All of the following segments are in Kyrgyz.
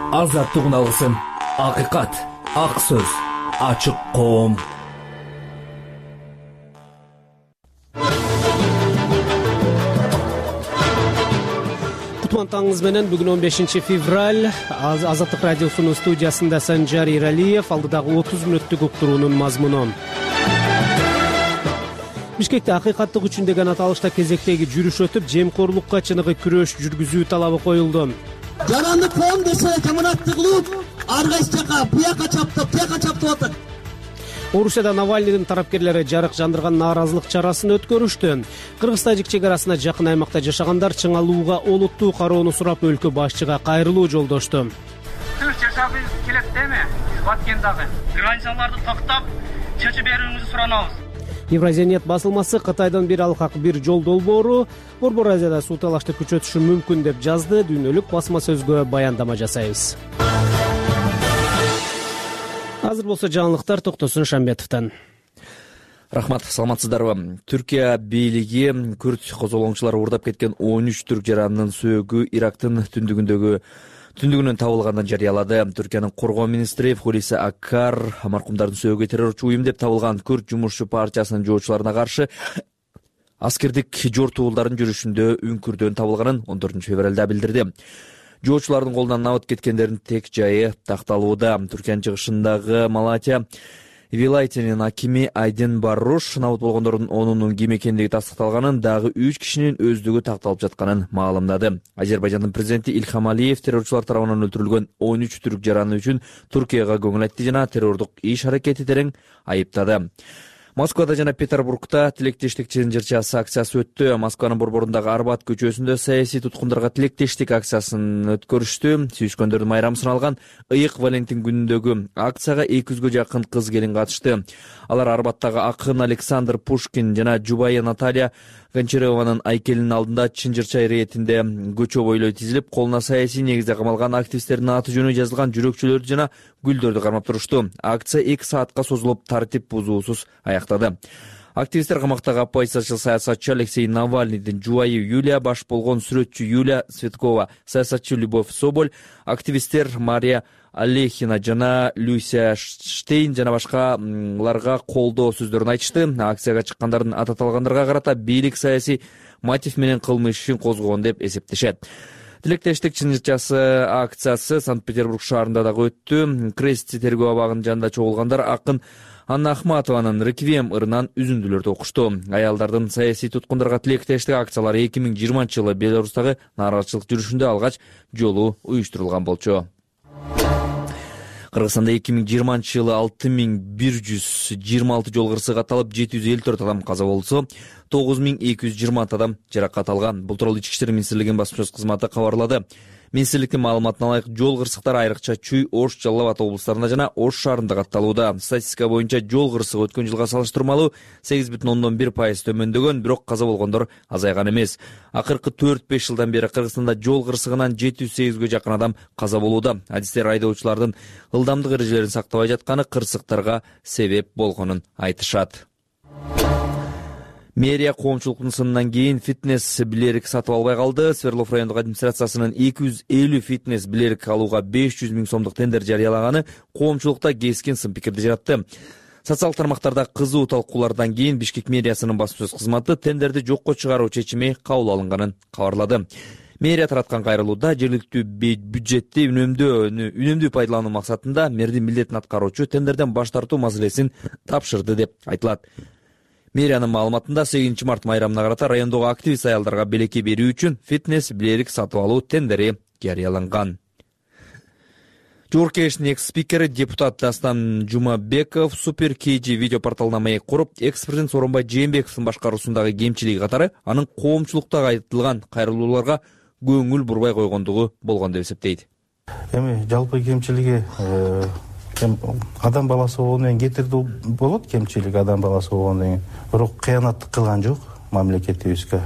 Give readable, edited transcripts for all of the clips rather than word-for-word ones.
Азаттыгын алсын. Акыйкат, ак сөз, ачык коом. Кутмантаңыз менен бүгүн 15 февраль Азаттык радиосунун студиясында Санжар Иралиев, алдыдагы 30 мүнөттүк уктуруунун мазмуну. Бишкекте акыйкаттык үчүн деген аталышта кезектеги жүрүш өтүп, жемкорлукка чыныгы күрөш жүргүзүү талабы коюлду. Жаранды коом десе жаманатты кылып, ар кайсы жака буяка чаптап, тияка чаптап атат. Орусияда Навальныйдын тарапкерлери жарык жандырган нааразылык чарасын өткөрүштү. Кыргыз-Тажик чек арасына жакын аймакта жашагандар чыңалууга олуттуу кароону сурап өлкө башчыга кайрылуу жолдошту. Тыныч жашагыбыз келет деме? Биз Баткендагы границаларды токтоп, чечип берүүңүздү суранабыз. Евразиянет басылмасы Кытайдан бир алкак бир жол долбоору Борбор Азияда суу талашты күчөтүшү мүмкүн деп жазды. Дүйнөлүк басма сөзгө баяндама жасайбыз. Азыр болсо жаңылыктар Токтосун Шамбетовдон. Рахмат, саламатсыздарбы? Түркия бийлиги күрд козголоңчулары уурдап кеткен 13 түрк жаранынын сөөгү Ирактын түндүгүнөн табылганын жарыялады. Түркиянын коргоо министри Хулиса Акар маркумдардын сөөгү террорчу уюм деп табылган Күрд жумушчу партиясынын жоочуларына каршы аскердик жортуулдардын жүрүшүндө үңкүрдөн табылганын 14 февралда билдирди. Жоочулардын колунан набыт кеткендердин тек жайы такталууда. Түркиянын чыгышындагы Малатия вилаятынын акими Айден Барруш набыт болгондордун 10-унун ким экендиги тастыкталганын, дагы 3 кишинин өздүгү такталып жатканын маалымдады. Азербайжандын президенти Ильхам Алиев террорчулар тарабынан өлтүрүлгөн 13 түрк жараны үчүн Туркияга көңүл айтты жана террордук иш аракети терең айыптады. Москвада жана Петербургда тилектештик чынжырчасы акциясы өттү. Москванын борборундагы Арбат көчөсүндө саясий туткундарга тилектештик акциясын өткөрүштү. Сүйүскөндөрдүн майрамын алган ыйык Валентин күнүндөгү акцияга 200гө жакын кыз келин катышты. Алар Арбаттагы акын Александр Пушкин жана жубайы Наталья Гончарованын айкелинин алдында чынжырча иретинде көчө бойлой тизилип, колуна саясий негизде камалган активисттердин аты жөнү жазылган жүрөкчөлөрдү жана гүлдөрдү кармап турушту. Акция 2 саатка созулуп, тартип бузуусуз аяктады. Активисттер камактагы оппозициячыл саясатчы Алексей Навальныйдын жубайы Юлия, баш болгон сүрөтчү Юлия Светкова, саясатчы Любовь Соболь, активисттер Мария Алехина жана Люся Штейн жана башкаларга колдоо сөздөрүн айтышты. Акцияга чыккандардын аты аталгандарга карата бийлик саясий мотив менен кылмыш ишин козгогон деп эсептешет. Тилектештик чынжырчасы акциясы Санкт-Петербург шаарында дагы өттү. Крести тергөө абагынын жанында чогулгандар акын Анна Ахматованын «Реквием» ырынан үзүндүлөрдү окушту. Аялдардын саясий туткундарга тилектештик акциялары 2020 Беларустагы нааразычылык жүрүшүндө алгач жолу уюштурулган болчу. Кыргызстанда 2020 жылы 6126 жол кырсыгы катталып, 754 адам каза болсо, 9220 адам жаракат алган. Бул тууралуу Ички иштер министрлигинин басма-сөз кызматы кабарлады. Министрликтин маалыматына ылайык, жол кырсыктар айрыкча Чүй, Ош, Жалал Абад облустарында жана Ош шаарында катталууда. Статистика боюнча жол кырсыгы өткөн жылга салыштырмалуу 8,1% төмөндөгөн, бирок каза болгондор азайган эмес. Акыркы 4-5 жылдан бери Кыргызстанда жол кырсыгынан 708гө жакын адам каза болууда. Адистер айдоочулардын ылдамдык эрежелерин сактабай жатканы кырсыктарга себеп болгонун айтышат. Мэрия коомчулуктун сынынан кийин фитнес билерик сатып албай калды. Свердлов райондук администрациясынын 250 фитнес билерик алууга 500 000 сомдук тендер жарыялаганы коомчулукта кескин сын пикирди жаратты. Социалдык тармактарда кызуу талкуулардан кийин Бишкек мэриясынын басма-сөз кызматы тендерди жокко чыгаруу чечими кабыл алынганын кабарлады. Мэрия тараткан кайрылууда жергиликтүү бюджетти үнөмдүү пайдалануу максатында мэрдин милдетин аткаруучу тендерден баш тартуу маселесин тапшырды деп айтылат. Мэриянын маалыматында 8 март майрамына карата райондогу активист аялдарга белекке берүү үчүн фитнес билерик сатып алуу тендери жарыяланган. Жогорку Кеңештин экс-спикери депутат Дастан Жумабеков Супер KG видео порталына маек куруп, экс-президент Сооронбай Жээнбековдун башкаруусундагы кемчилиги катары анын коомчулукта айтылган кайрылууларга көңүл бурбай койгондугу болгон деп эсептейт. Эми жалпы кемчилиги адам баласы болгондон кийин кетирди болот, кемчилик адам баласы болгондон кийин. Бирок кыянаттык кылган жок мамлекетибизге.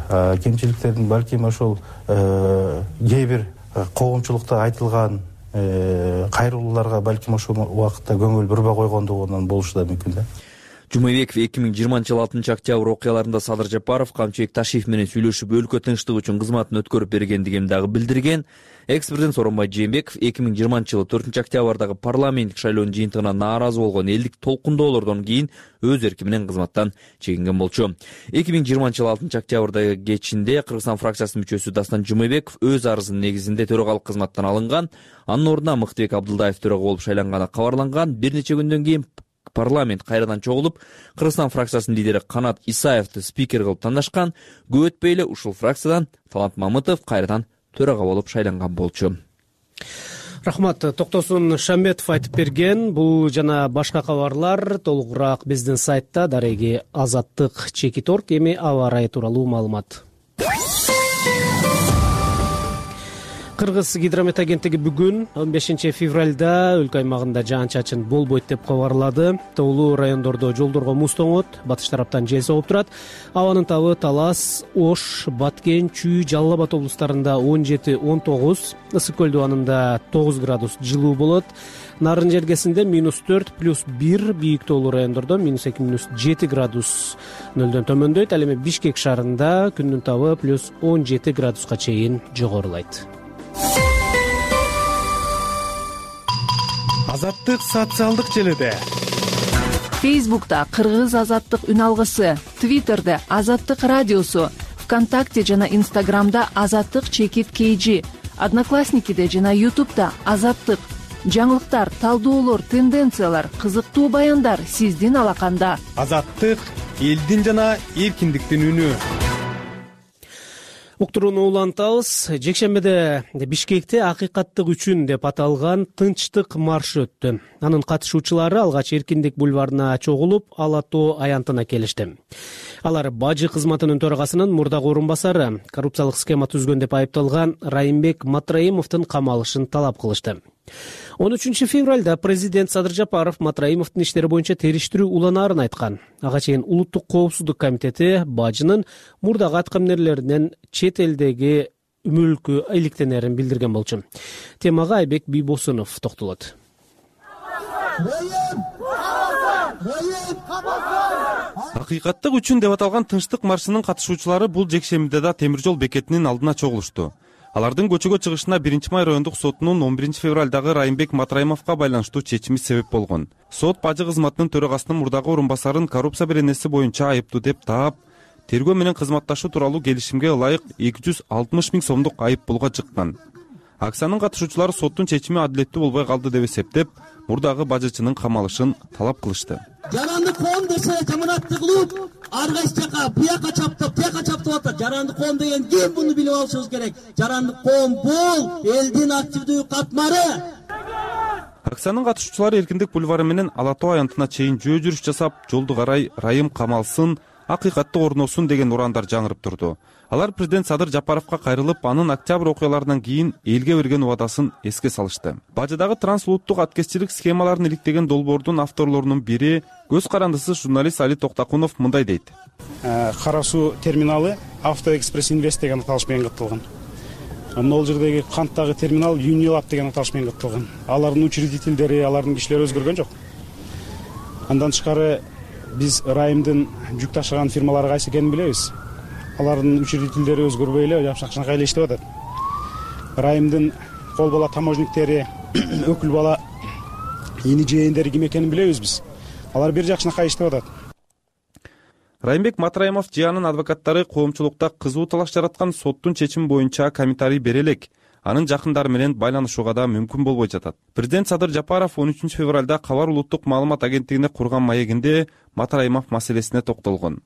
Кемчиликтердин балким ошол кээ бир коомчулукта айтылган кайрылууларга балким ошол убакытта көңүл бурбай койгондугунан болушу да мүмкүн да. Жумабеков 2020 жылы 6 октябрь окуяларында Садыр Жапаров Камчыбек Ташиев менен сүйлөшүп өлкө тынчтыгы үчүн кызматын өткөрүп бергендигин дагы билдирген. Экс-президент Сооронбай Жээнбеков 2020 жылы 4 октябрдагы парламенттик шайлоонун жыйынтыгына нааразы болгон элдик толкундоолордон кийин өз эрки менен кызматтан чегинген болчу. 2020 жылы 6 октябрдагы кечинде Кыргызстан фракциясынын мүчөсү Дастан Жумабеков өз арызынын негизинде төрагалык кызматтан алынган. Анын ордуна Мыктыбек Абдылдаев төрага болуп шайланганы кабарланган. Бир нече күндөн кийин парламент кайрадан чогулуп, Кыргызстан фракциясынын лидери Канат Исаевди спикер кылып тандашкан. Көп өтпөй эле ушул фракциядан Талант Мамытов кайрадан төрага болуп шайланган болчу. Рахмат. Токтосун Шамбетов айтып берген. Бул жана башка кабарлар толугураак биздин сайтта дареги Азаттык.org. Эми аба ырайы тууралуу маалымат. Кыргыз гидромет агенттиги бүгүн 15 февралда өлкө аймагында жаан-чачын болбойт деп кабарлады. Тоолуу райондордо жолдорго муз тоңот, батыш тараптан жел согуп турат. Абанын табы Талас, Ош, Баткен, Чүй, Жалал Абад облустарында 17-19, Ысык көл дубанында 9 градус жылуу болот. Нарын жергесинде -4+1, бийик тоолуу райондордо -2-7 градус нөлдөн төмөндөйт. Ал эми Бишкек шаарында күндүн табы +17 градуска чейин жогорулайт. Азаттык социалдык желиде. Фейсбукта Кыргыз азаттык үн алгысы, Твиттерде Азаттык радиосу, ВКонтакте жана Инстаграмда Азаттык _KG, Одноклассникиде жана Ютубта Азаттык. Жаңылыктар, талдоолор, тенденциялар, кызыктуу баяндар сиздин алаканда. Азаттык элдин жана эркиндиктин үнү. Уктурууну улантабыз. Жекшембиде Бишкекте акыйкаттык үчүн деп аталган тынчтык маршы өттү. Анын катышуучулары алгач Эркиндик бульварына чогулуп, Ала тоо аянтына келишти. Алар бажы кызматынын төрагасынын мурдагы орун басары, коррупциялык схема түзгөн деп айыпталган Райымбек Матраимовдун камалышын талап кылышты. 13 февралда президент Садыр Жапаров Матраимовдун иштери боюнча териштирүү уланаарын айткан. Ага чейин Улуттук коопсуздук комитети бажынын мурдагы аткамнерлеринен чет элдеги мүлкү иликтенерин билдирген болчу. Темага Айбек Бийбосунов токтолот. Акыйкаттык үчүн деп аталган тынчтык маршынын катышуучулары бул жекшембиде да темир жол бекетинин алдына чогулушту. Алардын көчөгө чыгышына 1-май райондук сотунун 11 февралдагы Райымбек Матраимовго байланыштуу чечими себеп болгон. Сот бажы кызматынын төрагасынын мурдагы орун басарын коррупция беренеси боюнча айыптуу деп таап, тергөө менен кызматташуу тууралуу келишимге ылайык 260 000 сомдук айып пулга жыккан. Акциянын катышуучулары соттун чечими адилеттүү болбой калды деп эсептеп, мурдагы бажычынын камалышын талап кылышты. Жаранды коом десе жаманатты кылып, ар кайсы жака буяка чаптап атат. Жаранды коом деген ким, буну билип алышыбыз керек. Жаранды коом бул элдин активдүү катмары. Акциянын катышуучулары Эркиндик бульвары менен Ала тоо аянтына чейин жөө жүрүш жасап, жолду карай Райым камалсын, акыйкатты орносун деген урандар жаңырып турду. Алар президент Садыр Жапаровго кайрылып, анын октябрь окуяларынан кийин элге берген убадасын эске салышты. Бажыдагы трансулуттук аткезчилик схемаларын иликтеген долбоордун авторлорунун бири көз карандысы журналист Али Токтакунов мындай дейт. Кара суу терминалы Автоэкспресс Инвест деген аталыш менен катталган. Могул жердеги канттагы терминал Юнилаб деген аталыш менен катталган. Алардын учредительдери, алардын кишилери өзгөргөн жок. Андан тышкары биз Райымдын жүк ташыган фирмалары кайсы экенин билебиз. Алардын учредительдери өзгөрбөй эле жапшак-жакшай эле иштеп атат. Райымдын кол бала таможниктери, өкүл бала ини жээндери ким экенин билебиз биз. Алар бир жакшынакай иштеп атат. Райымбек Матраимов жыянын адвокаттары коомчулукта кызуу талаш жараткан соттун чечими боюнча комментарий бере элек. Анын жакындары менен байланышууга да мүмкүн болбой жатат. Президент Садыр Жапаров 13 февралда Кабар улуттук маалымат агенттигине курган маегинде Матраимов маселесине токтолгон.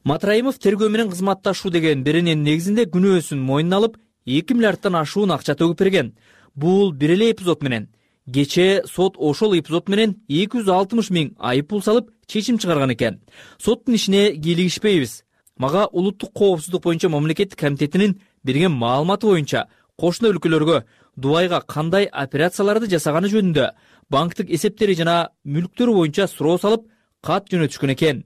Матраимов тергөө менен кызматташуу деген берененин негизинде күнөөсүн мойнуна алып, 2 миллиардтан ашуун акча төгүп берген. Бул бир эле эпизод менен. Кечээ сот ошол эпизод менен 260 000 айып пул салып, чечим чыгарган экен. Соттун ишине кийлигишпейбиз. Мага Улуттук коопсуздук боюнча мамлекеттик комитетинин берген маалыматы боюнча кошуна өлкөлөргө Дубайга кандай операцияларды жасаганы жөнүндө банктык эсептери жана мүлктөрү боюнча суроо салып, кат жөнөтүшкөн экен.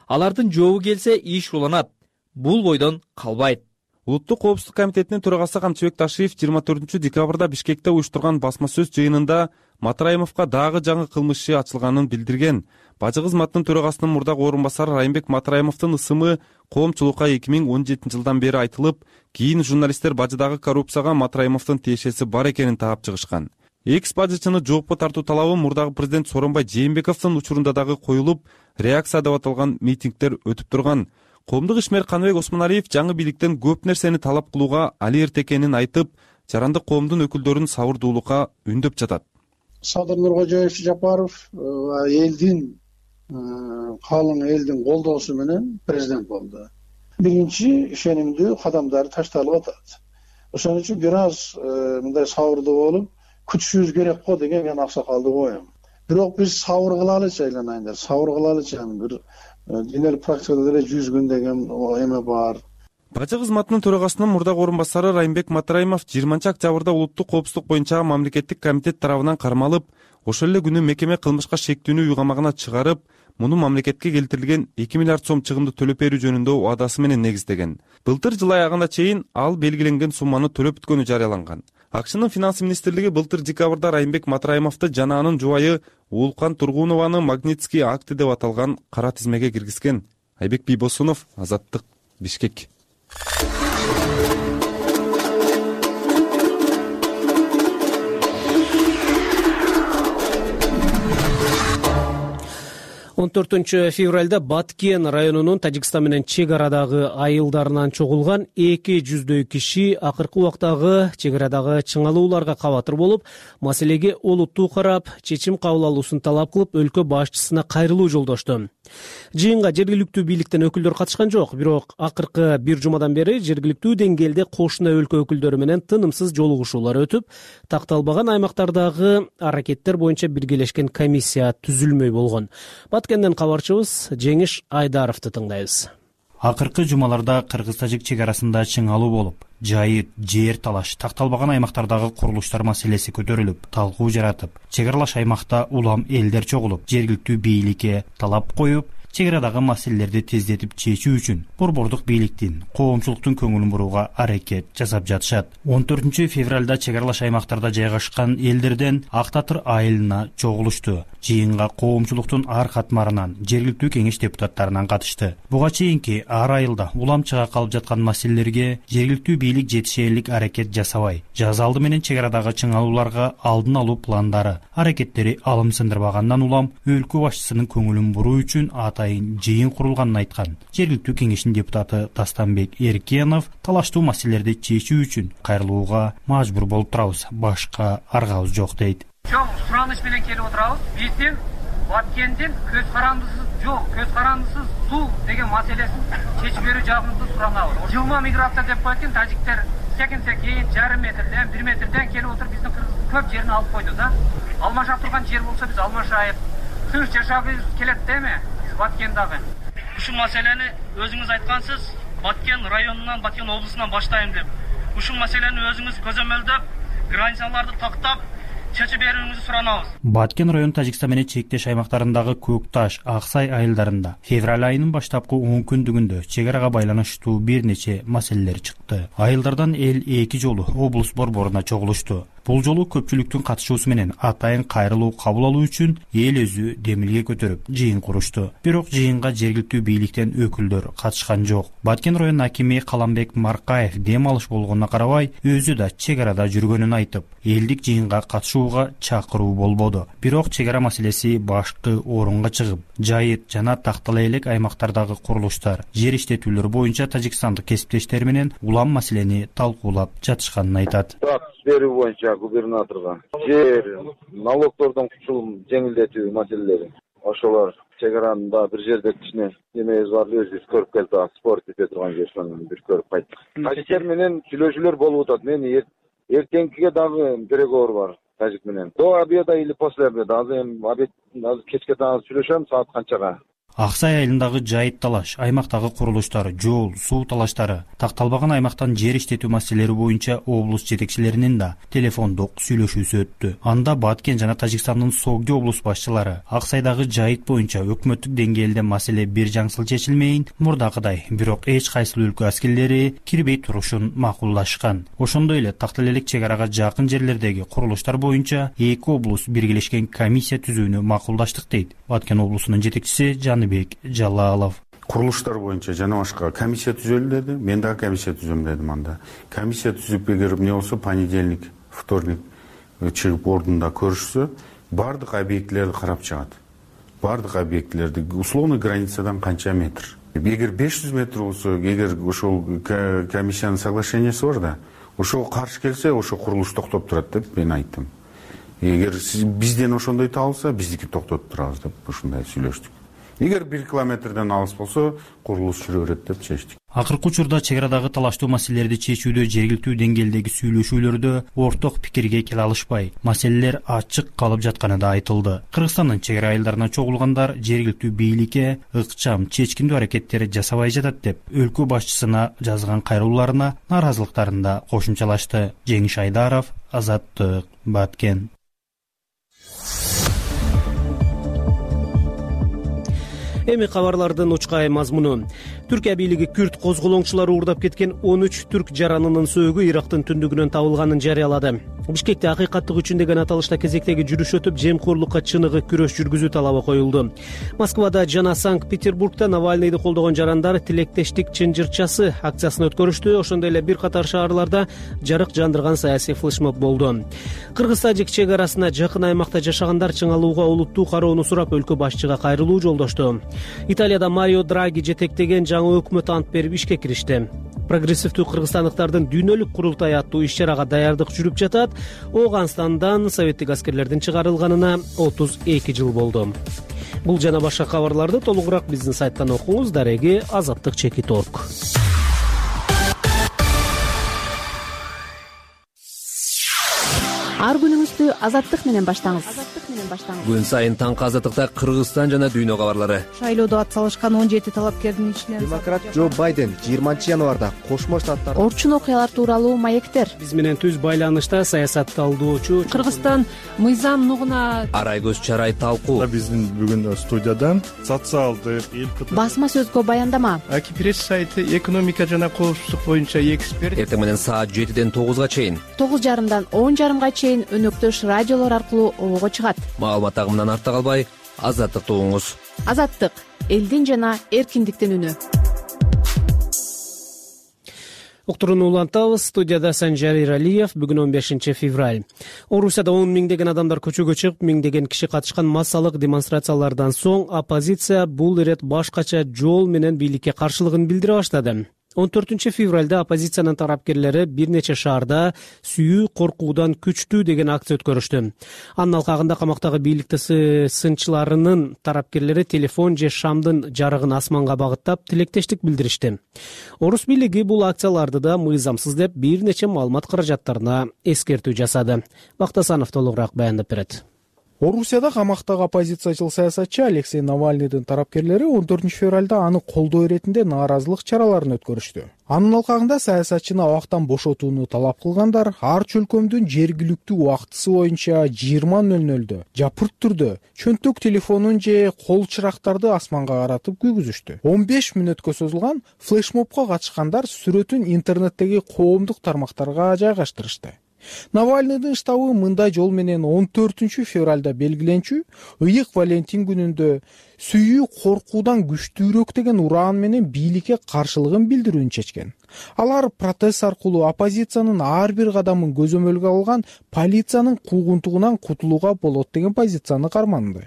Алардын жообу келсе иш уланат. Бул бойдон калбайт. Улуттук коопсуздук комитетинин төрагасы Камчыбек Ташиев 24 декабрда Бишкекте уюштурган басма сөз жыйынында Матраимовго дагы жаңы кылмыш иши ачылганын билдирген. Бажы кызматынын төрагасынын мурдагы орун басары Райымбек Матраимовдун ысымы коомчулукка 2017 жылдан бери айтылып, кийин журналисттер бажыдагы коррупцияга Матраимовдун тиешеси бар экенин таап чыгышкан. Экс-бажычыны жоопко тартуу талабы мурдагы президент Сооронбай Жээнбековдун учурунда дагы коюлуп, реакция деп аталган митингдер өтүп турган. Коомдук ишмер Каныбек Осмоналиев жаңы бийликтен көп нерсени талап кылууга али эрте экенин айтып, жарандык коомдун өкүлдөрүн сабырдуулукка үндөп жатат. Садыр Нуркожоевич Жапаров элдин калың элдин колдоосу менен президент болду. Биринчи ишенимдүү кадамдары ташталып атат. Ошон үчүн бир аз мындай сабырдуу болуп күтүшүбүз керек го деген мен аксакалдуу оюм. Бирок биз сабыр кылалычы айланайындар, сабыр кылалычы, бир денелик практикада деле 100 күн деген эме бар. Бажы кызматынын төрагасынын мурдагы орун басары Райымбек Матраимов 20-октябрда улуттук коопсуздук боюнча мамлекеттик комитет тарабынан кармалып, ошол эле күнү мекеме кылмышка шектүүнү үй камагына чыгарып, муну мамлекетке келтирилген 2 миллиард сом чыгымды төлөп берүү жөнүндө убадасы менен негиздеген. Былтыр жыл аягына чейин ал белгиленген сумманы төлөп бүткөнү жарыяланган. АКШнын финанс министрлиги былтыр декабрда Райымбек Матраимовду жана анын жубайы Уулкан Тургунованы Магнитский акты деп аталган кара тизмеге киргизген. Айбек Бийбосунов, Азаттык, Бишкек. 14 февралда Баткен районунун Тажикстан менен чек арадагы айылдарынан чогулган 200 киши акыркы убактагы чек арадагы чыңалууларга кабатыр болуп, маселеге олуттуу карап, чечим кабыл алуусун талап кылып, өлкө башчысына кайрылуу жолдошту. Жыйынга жергиликтүү бийликтен өкүлдөр катышкан жок, бирок акыркы бир жумадан бери жергиликтүү деңгээлде кошуна өлкө өкүлдөрү менен тынымсыз жолугушуулар өтүп, такталбаган аймактардагы аракеттер боюнча биргелешкен комиссия түзүлмөй болгон. Баткенден кабарчыбыз Жеңиш Айдаровду тыңдайбыз. Акыркы жумаларда кыргыз-тажик чек арасында чыңалуу болуп, жайыт, жер талаш, такталбаган аймактардагы курулуштар маселеси көтөрүлүп, талкуу жаратып, чек аралаш аймакта улам элдер чогулуп, жергиликтүү бийликке талап коюп, чек арадагы маселелерди тездетип чечүү үчүн борбордук бийликтин, коомчулуктун көңүлүн бурууга аракет жасап жатышат. 14 февралда чек аралаш аймактарда жайгашкан элдерден Ак Татыр айылына чогулушту. Жыйынга коомчулуктун ар катмарынан, жергиликтүү кеңеш депутаттарынан катышты. Буга чейинки ар айылда улам чыга калып жаткан маселелерге жергиликтүү бийлик жетишерлик аракет жасабай, жаз алды менен чек арадагы чыңалууларга алдын алуу пландары, аракеттери алым сындырбагандан улам өлкө башчысынын көңүлүн буруу үчүн атайын жыйын курулганын айткан. Жергиликтүү кеңештин депутаты Тастанбек Эркенов талаштуу маселелерди чечүү үчүн кайрылууга мажбур болуп турабыз, башка аргабыз жок дейт. Чоң сураныш менен келип отурабыз. Биздин Баткендин көз карандысыз жол, көз карандысыз суу деген маселесин чечип берүү жагында суранабыз. Жылма миграция деп койгон тажиктер секин жарым метрден, 1 метрден келип отуруп биздин көп жерин алып койду да. Алмашап турган жер болсо биз алмашайып, тыныч жашагыбыз келет деме Баткендагы. Ушул маселени өзүңүз айткансыз, Баткен районунан, Баткен облусунан баштайм деп. Ушул маселени өзүңүз көзөмөлдөп, границаларды тактап чечип берүүңүздү суранабыз. Баткен район Тажикстан менен чектеш аймактарындагы Көк Таш, Аксай айылдарында февраль айынын баштапкы 10 күндүгүндө чек арага байланыштуу бир нече маселелер чыкты. Айылдардан эл 2 жолу облус борборуна чогулушту. Бул жолу көпчүлүктүн катышуусу менен атайын кайрылуу кабыл алуу үчүн эл өзү демилге көтөрүп жыйын курушту. Бирок жыйынга жергиликтүү бийликтен өкүлдөр катышкан жок. Баткен район акими Каламбек Маркаев дем алыш болгонуна карабай, өзү да чек арада жүргөнүн айтып, элдик жыйынга катышууга чакыруу болбоду. Бирок чек ара маселеси башкы орунга чыгып, жайыт жана тактала элек аймактардагы курулуштар, жер иштетүүлөр боюнча тажикстандык кесиптештер менен улам маселени талкуулап жатышканын айтат. Берүү боюнча губернаторго жер, налогдордон кучулум жеңилдетүү маселелери. Ошолор чек аранда бир жерде кичине эмебиз бар, өзүбүз көрүп келдик, спорт эте турган жерден бир көрүп кайттык. Тажиктер менен сүйлөшүүлөр болуп атат. Мен эртеңкиге дагы переговор бар тажик менен. До обеда или после обеда. Азыр кечке дагы сүйлөшөм, саат канчага. Ак Сай айылындагы жайыт талаш, аймактагы курулуштар, жол, суу талаштары, такталбаган аймактан жер иштетүү маселелери боюнча облус жетекчилеринин да телефондук сүйлөшүүсү өттү. Анда Баткен жана Тажикстандын Согди облус башчылары Ак Сайдагы жайыт боюнча өкмөттүк деңгээлде маселе бир жаңсыл чечилмейин, мурдакыдай, бирок эч кайсыл өлкө аскерлери кирбей турушун макулдашкан. Ошондой эле Тактал-Элек чек арага жакын жерлердеги курулуштар боюнча эки облус биргелешкен комиссия түзүүнү макулдаштык дейт Баткен облусунун жетекчиси Жаныбек Жалалов. Курулуштар боюнча жана башка комиссия түзөлү деди. Мен дагы комиссия түзөм дедим анда. Комиссия түзүп эгер эмне болсо понедельник, вторник чыгып ордунда көрүшсө, бардык объектилерди карап чыгат. Бардык объектилерди условный границадан канча метр. Эгер 500 метр болсо, эгер ошол комиссиянын соглашениясы бар да, ошого каршы келсе, ошо курулуш токтоп турат деп мен айттым. Эгер бизден ошондой табылса, биздики токтотуп турабыз деп ушундай сүйлөштүк. Эгер 1 километрден алыс болсо, курулуш жүрө берет деп чечтик. Акыркы учурда чек арадагы талаштуу маселелерди чечүүдө жергиликтүү деңгээлдеги сүйлөшүүлөрдө орток пикирге келе алышпай, маселелер ачык калып жатканы да айтылды. Кыргызстандын чек ара айылдарына чогулгандар жергиликтүү бийликке ыкчам, чечкиндүү аракеттер жасабай жатат деп өлкө башчысына жазган кайрылууларына нааразылыктарын да кошумчалашты. Жеңиш Айдаров, Азаттык, Баткен. Эми кабарлардын учкай мазмуну. Түркия бийлиги Күрд козголоңчулары уурдап кеткен 13 түрк жаранынын сөөгү Ирактын түндүгүнөн табылганын жарыялады. Бишкекте акыйкаттык үчүн деген аталышта кезектеги жүрүш өтүп, жемкорлукка чыныгы күрөш жүргүзүү талабы коюлду. Москвада жана Санкт-Петербургда Навальныйды колдогон жарандар тилектештик чынжырчасы акциясын өткөрүштү. Ошондой эле бир катар шаарларда жарык жандырган саясий флешмоб болду. Кыргыз-Тажик чек арасына жакын аймакта жашагандар чыңалууга олуттуу кароону сурап өлкө башчыга кайрылуу жолдошту. Италияда Марио Драги жетектеген жаңы өкмөт ант берип ишке киришти. Прогрессивдүү кыргызстандыктардын дүйнөлүк курултай аттуу иш-чарага даярдык жүрүп жатат. Ооганстандан советтик аскерлердин чыгарылганына 32 жыл болду. Бул жана башка кабарларды толугураак биздин сайттан окуңуз. Дареги azattik.org. Ар күнүңүздү азаттык менен баштаңыз. Күн сайын таңкы азаттыкта Кыргызстан жана дүйнө кабарлары. Шайлоодо ат салышкан 17 талапкердин ичинен демократ Джо Байден 20 январда Кошмо Штаттар орчун окуялар тууралуу маектер. Биз менен түз байланышта саясат талдоочу Кыргызстан мыйзам нугуна Арайгөз Чарай талкуу. Биздин бүгүн студиядан социалдык басма сөзгө баяндама. Аки пресс сайты экономика жана коопсуздук боюнча эксперт. Эртең менен саат 7ден 9га чейин, 9:30дан 10:30га чейин өнөктөш радиолор аркылуу обого чыгат. Маалымат агымынан артта калбай, азаттыкты угуңуз. Азаттык — элдин жана эркиндиктин үнү. Уктурууну улантабыз. Студияда Санжар Иралиев. Бүгүн 15 февраль. Орусияда 10 миңдеген адамдар көчөгө чыгып, миңдеген киши катышкан массалык демонстрациялардан соң оппозиция бул ирет башкача жол менен бийликке каршылыгын билдире баштады. 14 февралда оппозициянын тарапкерлери бир нече шаарда сүйүү коркуудан күчтүү деген акция өткөрүштү. Анын алкагында камактагы бийликти сынчыларынын тарапкерлери телефон же шамдын жарыгын асманга багыттап тилектештик билдиришти. Орус бийлиги бул акцияларды да мыйзамсыз деп бир нече маалымат каражаттарына эскертүү жасады. Бактасанов толугураак баяндап берет. Орусияда камактагы оппозициячыл саясатчы Алексей Навальныйдын тарапкерлери 14 февралда аны колдоо иретинде нааразылык чараларын өткөрүштү. Анын алкагында саясатчыны абактан бошотууну талап кылгандар ар чөлкөмдүн жергиликтүү убактысы боюнча 20:00 жапырт түрдө чөнтөк телефонун же кол чырактарды асманга каратып күйгүзүштү. 15 мүнөткө созулган флешмобко катышкандар сүрөтүн интернеттеги коомдук тармактарга жайгаштырышты. Навальныйдын штабы мындай жол менен 14 февралда белгиленчү ыйык Валентин күнүндө сүйүү коркуудан күчтүүрөөк деген ураан менен бийликке каршылыгын билдирүүнү чечкен. Алар протест аркылуу оппозициянын ар бир кадамын көзөмөлгө алган полициянын куугунтугунан кутулууга болот деген позицияны карманды.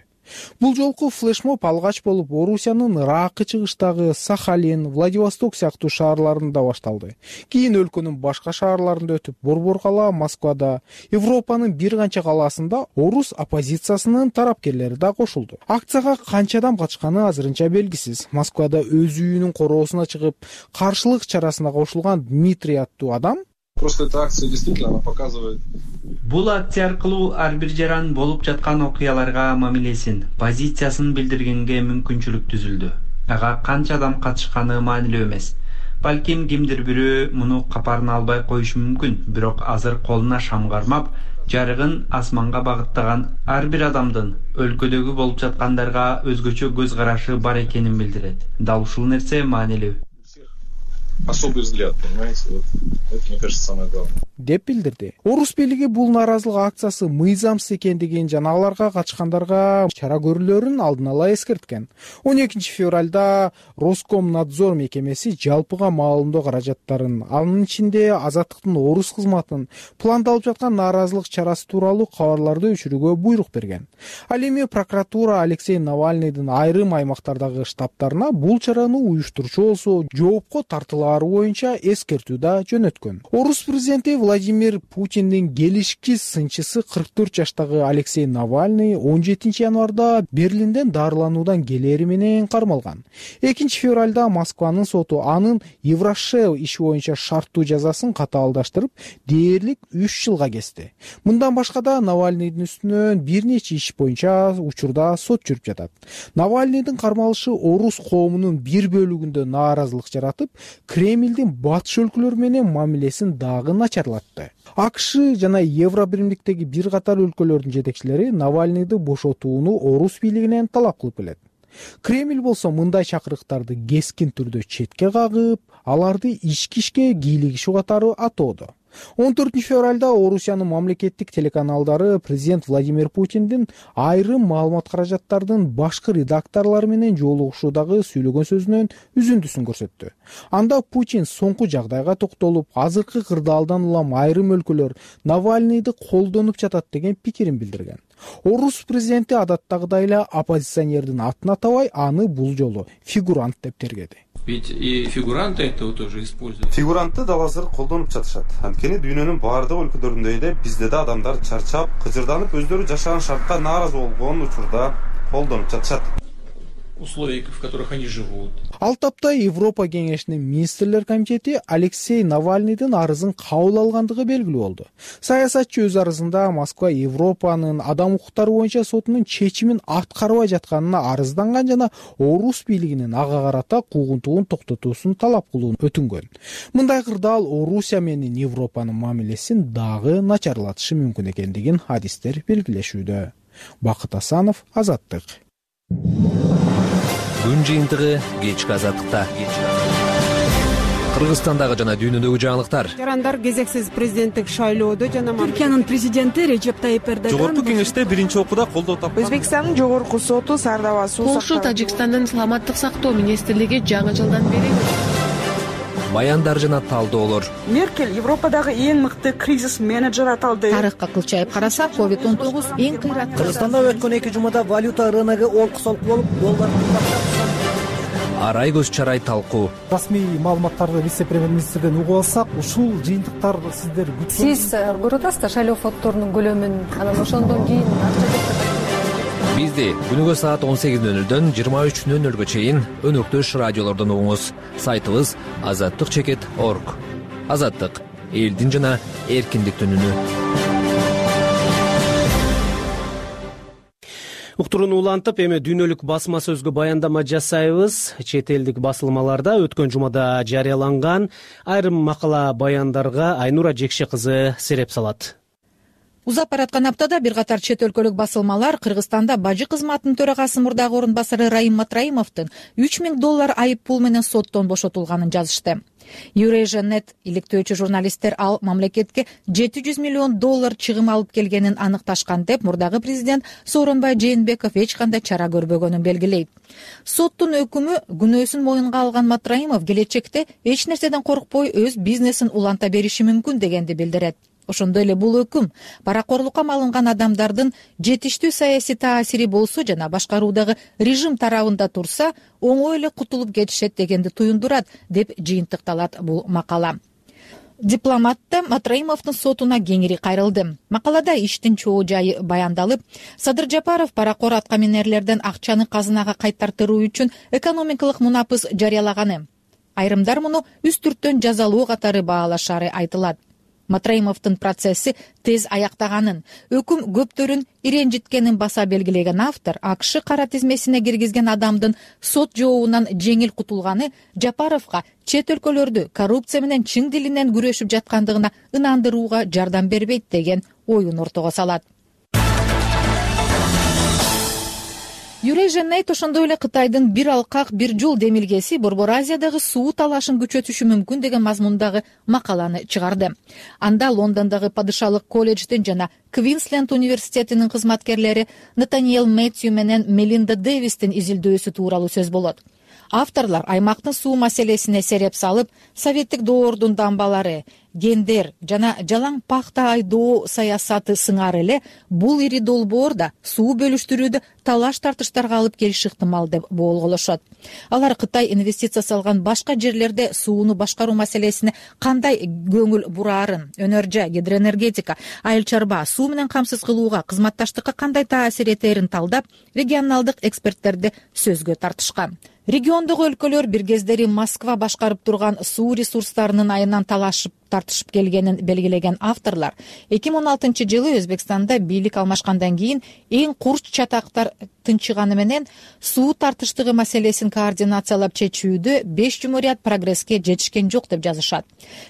Бул жолку флешмоб алгач болуп Орусиянын ыракы чыгыштагы Сахалин, Владивосток сыяктуу шаарларында башталды. Кийин өлкөнүн башка шаарларында өтүп, Борбор-кала, Москвада, Европанын бир канча калаасында орус оппозициясынын тарапкерлери да кошулду. Акцияга канча адам катышканы азырынча белгисиз. Москвада өз үйүнүн короосуна чыгып, каршылык чарасына кошулган Дмитрий аттуу адам Просто эта акция действительно она показывает. Бул акция аркылуу ар бир жаран болуп жаткан окуяларга мамилесин, позициясын билдиргенге мүмкүнчүлүк түзүлдү. Ага канча адам катышканы маанилүү эмес. Балким кимдир бирөө муну капарына албай коюшу мүмкүн, бирок азыр колуна шам кармап, жарыгын асманга багыттаган ар бир адамдын өлкөдөгү болуп жаткандарга өзгөчө көз карашы бар экенин билдирет. Дал ушул нерсе маанилүү. Особый взгляд, понимаете, вот это, мне кажется, самое главное. деп билдирди. Орус бийлиги бул нааразылык акциясы мыйзамсыз экендигин жана аларга катышкандарга чара көрүлөрүн алдын ала эскерткен. 12 февралда Роскомнадзор мекемеси жалпыга маалымдоо каражаттарын, анын ичинде Азаттыктын орус кызматын пландалып жаткан нааразылык чарасы тууралуу кабарларды өчүрүүгө буйрук берген. Ал эми прокуратура Алексей Навальныйдын айрым аймактардагы штабтарына бул чараны уюштуруучу болсо жоопко тартылаары боюнча эскертүү да жөнөткөн. Орус президенти Владимир Путиндин келишкис сынчысы 44 жаштагы Алексей Навальный 17 январда Берлинден дарылануудан келери менен кармалган. 2 февралда Москванын соту анын Еврошел иши боюнча шарттуу жазасын катаалдаштырып, дээрлик 3 жылга кести. Мындан башка да Навальныйдын үстүнөн бир нече иш боюнча учурда сот жүрүп жатат. Навальныйдын кармалышы орус коомунун бир бөлүгүндө нааразылык жаратып, Кремлдин батыш өлкөлөр менен мамилесин дагы начарлатты. АКШ жана Евробиримдиктеги бир катар өлкөлөрдүн жетекчилери Навальныйды бошотууну орус бийлигинен талап кылып келет. Кремль болсо мындай чакырыктарды кескин түрдө четке кагып, аларды ички ишке кийлигишүү катары атоодо. 14 февралда Орусиянын мамлекеттик телеканалдары президент Владимир Путиндин айрым маалымат каражаттардын башкы редакторлору менен жолугушуудагы сүйлөгөн сөзүнөн үзүндүсүн көрсөттү. Анда Путин соңку жагдайга токтолуп, азыркы кырдаалдан улам айрым өлкөлөр Навальныйды колдонуп жатат деген пикирин билдирген. Орус президенти адаттагыдай эле оппозиционердин атын атабай, аны бул жолу фигурант деп тергеди. Ведь и фигуранты этого тоже используют. Фигурантты дал азыр колдонуп жатышат. Анткени дүйнөнүн баардык өлкөлөрүндөй эле бизде да адамдар чарчап, кыжырданып, өздөрү жашаган шартка нааразы болгон учурда колдонуп жатышат. Условий, в которых они живут. Ал тапта Европа кеңешинин министрлер комитети Алексей Навальныйдын арызын кабыл алгандыгы белгилүү болду. Саясатчы өз арызында Москва Европанын адам укуктары боюнча сотунун чечимин аткарбай жатканына арызданган жана орус бийлигинин ага карата куугунтугун токтотуусун талап кылууну өтүнгөн. Мындай кырдаал Орусия менен Европанын мамилесин дагы начарлатышы мүмкүн экендигин адистер белгилешүүдө. Бакыт Асанов, Азаттык. Күн жыйынтыгы кечки Азаттыкта. Кыргызстандагы жана дүйнөдөгү жаңылыктар. Жарандар кезексиз президенттик шайлоодо жана Түркиянын президенти Режеп Тайип Эрдоган жогорку кеңеште биринчи окууда колдоо тапкан. Өзбекстандын жогорку соту Сардаба суу Польша Тажикстандын саламаттык сактоо министрлиги жаңы жылдан бери Баяндар жана талдоолор. Меркель Европадагы эң мыкты кризис менеджер аталды. Тарыхка кылчайып караса, COVID-19 эң кыйратты. Кыргызстанда өткөн 2 жумада валюта рыногу олку-солку болуп, доллар Арай көз чарай талкуу. Расмий маалыматтарды вице-премьер-министрден угуп алсак, ушул жыйынтыктар сиздер күткөн. Сиз көрүп атасыздар шайлоо фонддорунун көлөмүн, анан ошондон кийин Бизди күнүгө саат 18:00дөн 23:00гө чейин өнөктөш радиолордон угуңуз. Сайтыбыз azattik.org. Азаттык — элдин жана эркиндиктин үнү. Уктурууну улантып, эми дүйнөлүк басма сөзгө баяндама жасайбыз. Чет элдик басылмаларда өткөн жумада жарыяланган айрым макала баяндарга Айнура Жекше кызы сереп салат. Узап бараткан аптада бир катар чет өлкөлүк басылмалар Кыргызстанда бажы кызматынын төрагасы мурдагы орун басары Раим Матраимовдун $3000 айып пул менен соттон бошотулганын жазышты. Eurasia.net иликтөөчү журналисттер ал мамлекетке $700 миллион чыгым алып келгенин аныкташкан деп мурдагы президент Сооронбай Жээнбеков эч кандай чара көрбөгөнүн белгилейт. Соттун өкүмү күнөөсүн моюнга алган Матраимов келечекте эч нерседен коркпой өз бизнесин уланта бериши мүмкүн дегенди билдирет. Ошондой эле бул өкүм паракорлукка малынган адамдардын жетиштүү саясий таасири болсо жана башкаруудагы режим тарабында турса, оңой эле кутулуп кетишет дегенди туюндурат, деп жыйынтыкталат бул макала. Дипломатта Матраимовдун сотуна кеңири кайрылды. Макалада иштин чоо жайы баяндалып, Садыр Жапаров паракор аткаминерлерден акчаны казынага кайтартыруу үчүн экономикалык мунапыс жарыялаганы. Айрымдар муну үстүрттөн жазалуу катары баалашары айтылат. Матраимовдун процесси тез аяктаганын, өкүм көптөрүн иренжиткенин баса белгилеген автор АКШ кара тизмесине киргизген адамдын сот жообунан жеңил кутулганы Жапаровго чет өлкөлөрдү коррупция менен чың дилинен күрөшүп жаткандыгына ынандырууга жардам бербейт деген оюн ортого салат. Юрей ошондой эле Кытайдын бир алкак бир жол демилгеси Борбор Азиядагы суу талашын күчөтүшү мүмкүн деген мазмундагы макаланы чыгарды. Анда Лондондогу Падышалык колледждин жана Квинсленд университетинин кызматкерлери Натаниэл Мэтью менен Мелинда Дэвистин изилдөөсү тууралуу сөз болот. Авторлор аймактын суу маселесине сереп салып, советтик доордун дамбалары, гендер жана жалаң пахта айдоо саясаты сыңары эле бул ири долбоор да суу бөлүштүрүүдө талаш-тартыштарга алып келиши ыктымал деп боолголошот. Алар Кытай инвестиция салган башка жерлерде сууну башкаруу маселесине кандай көңүл бураарын, өнөр жай, гидроэнергетика, айыл чарба, суу менен камсыз кылууга, кызматташтыкка кандай таасир этерин талдап, регионалдык эксперттерди сөзгө тартышкан. Региондогу өлкөлөр бир кездери Москва башкарып турган суу ресурстарынын айынан тартышып келгенин белгилеген авторлор 2016-жылы Өзбекстанда бийлик алмашкандан кийин эң курч чатактар тынчыганы менен суу тартыштыгы маселесин координациялап чечүүдө 5 жумурiyat прогресске жетишкен жок деп жазышат.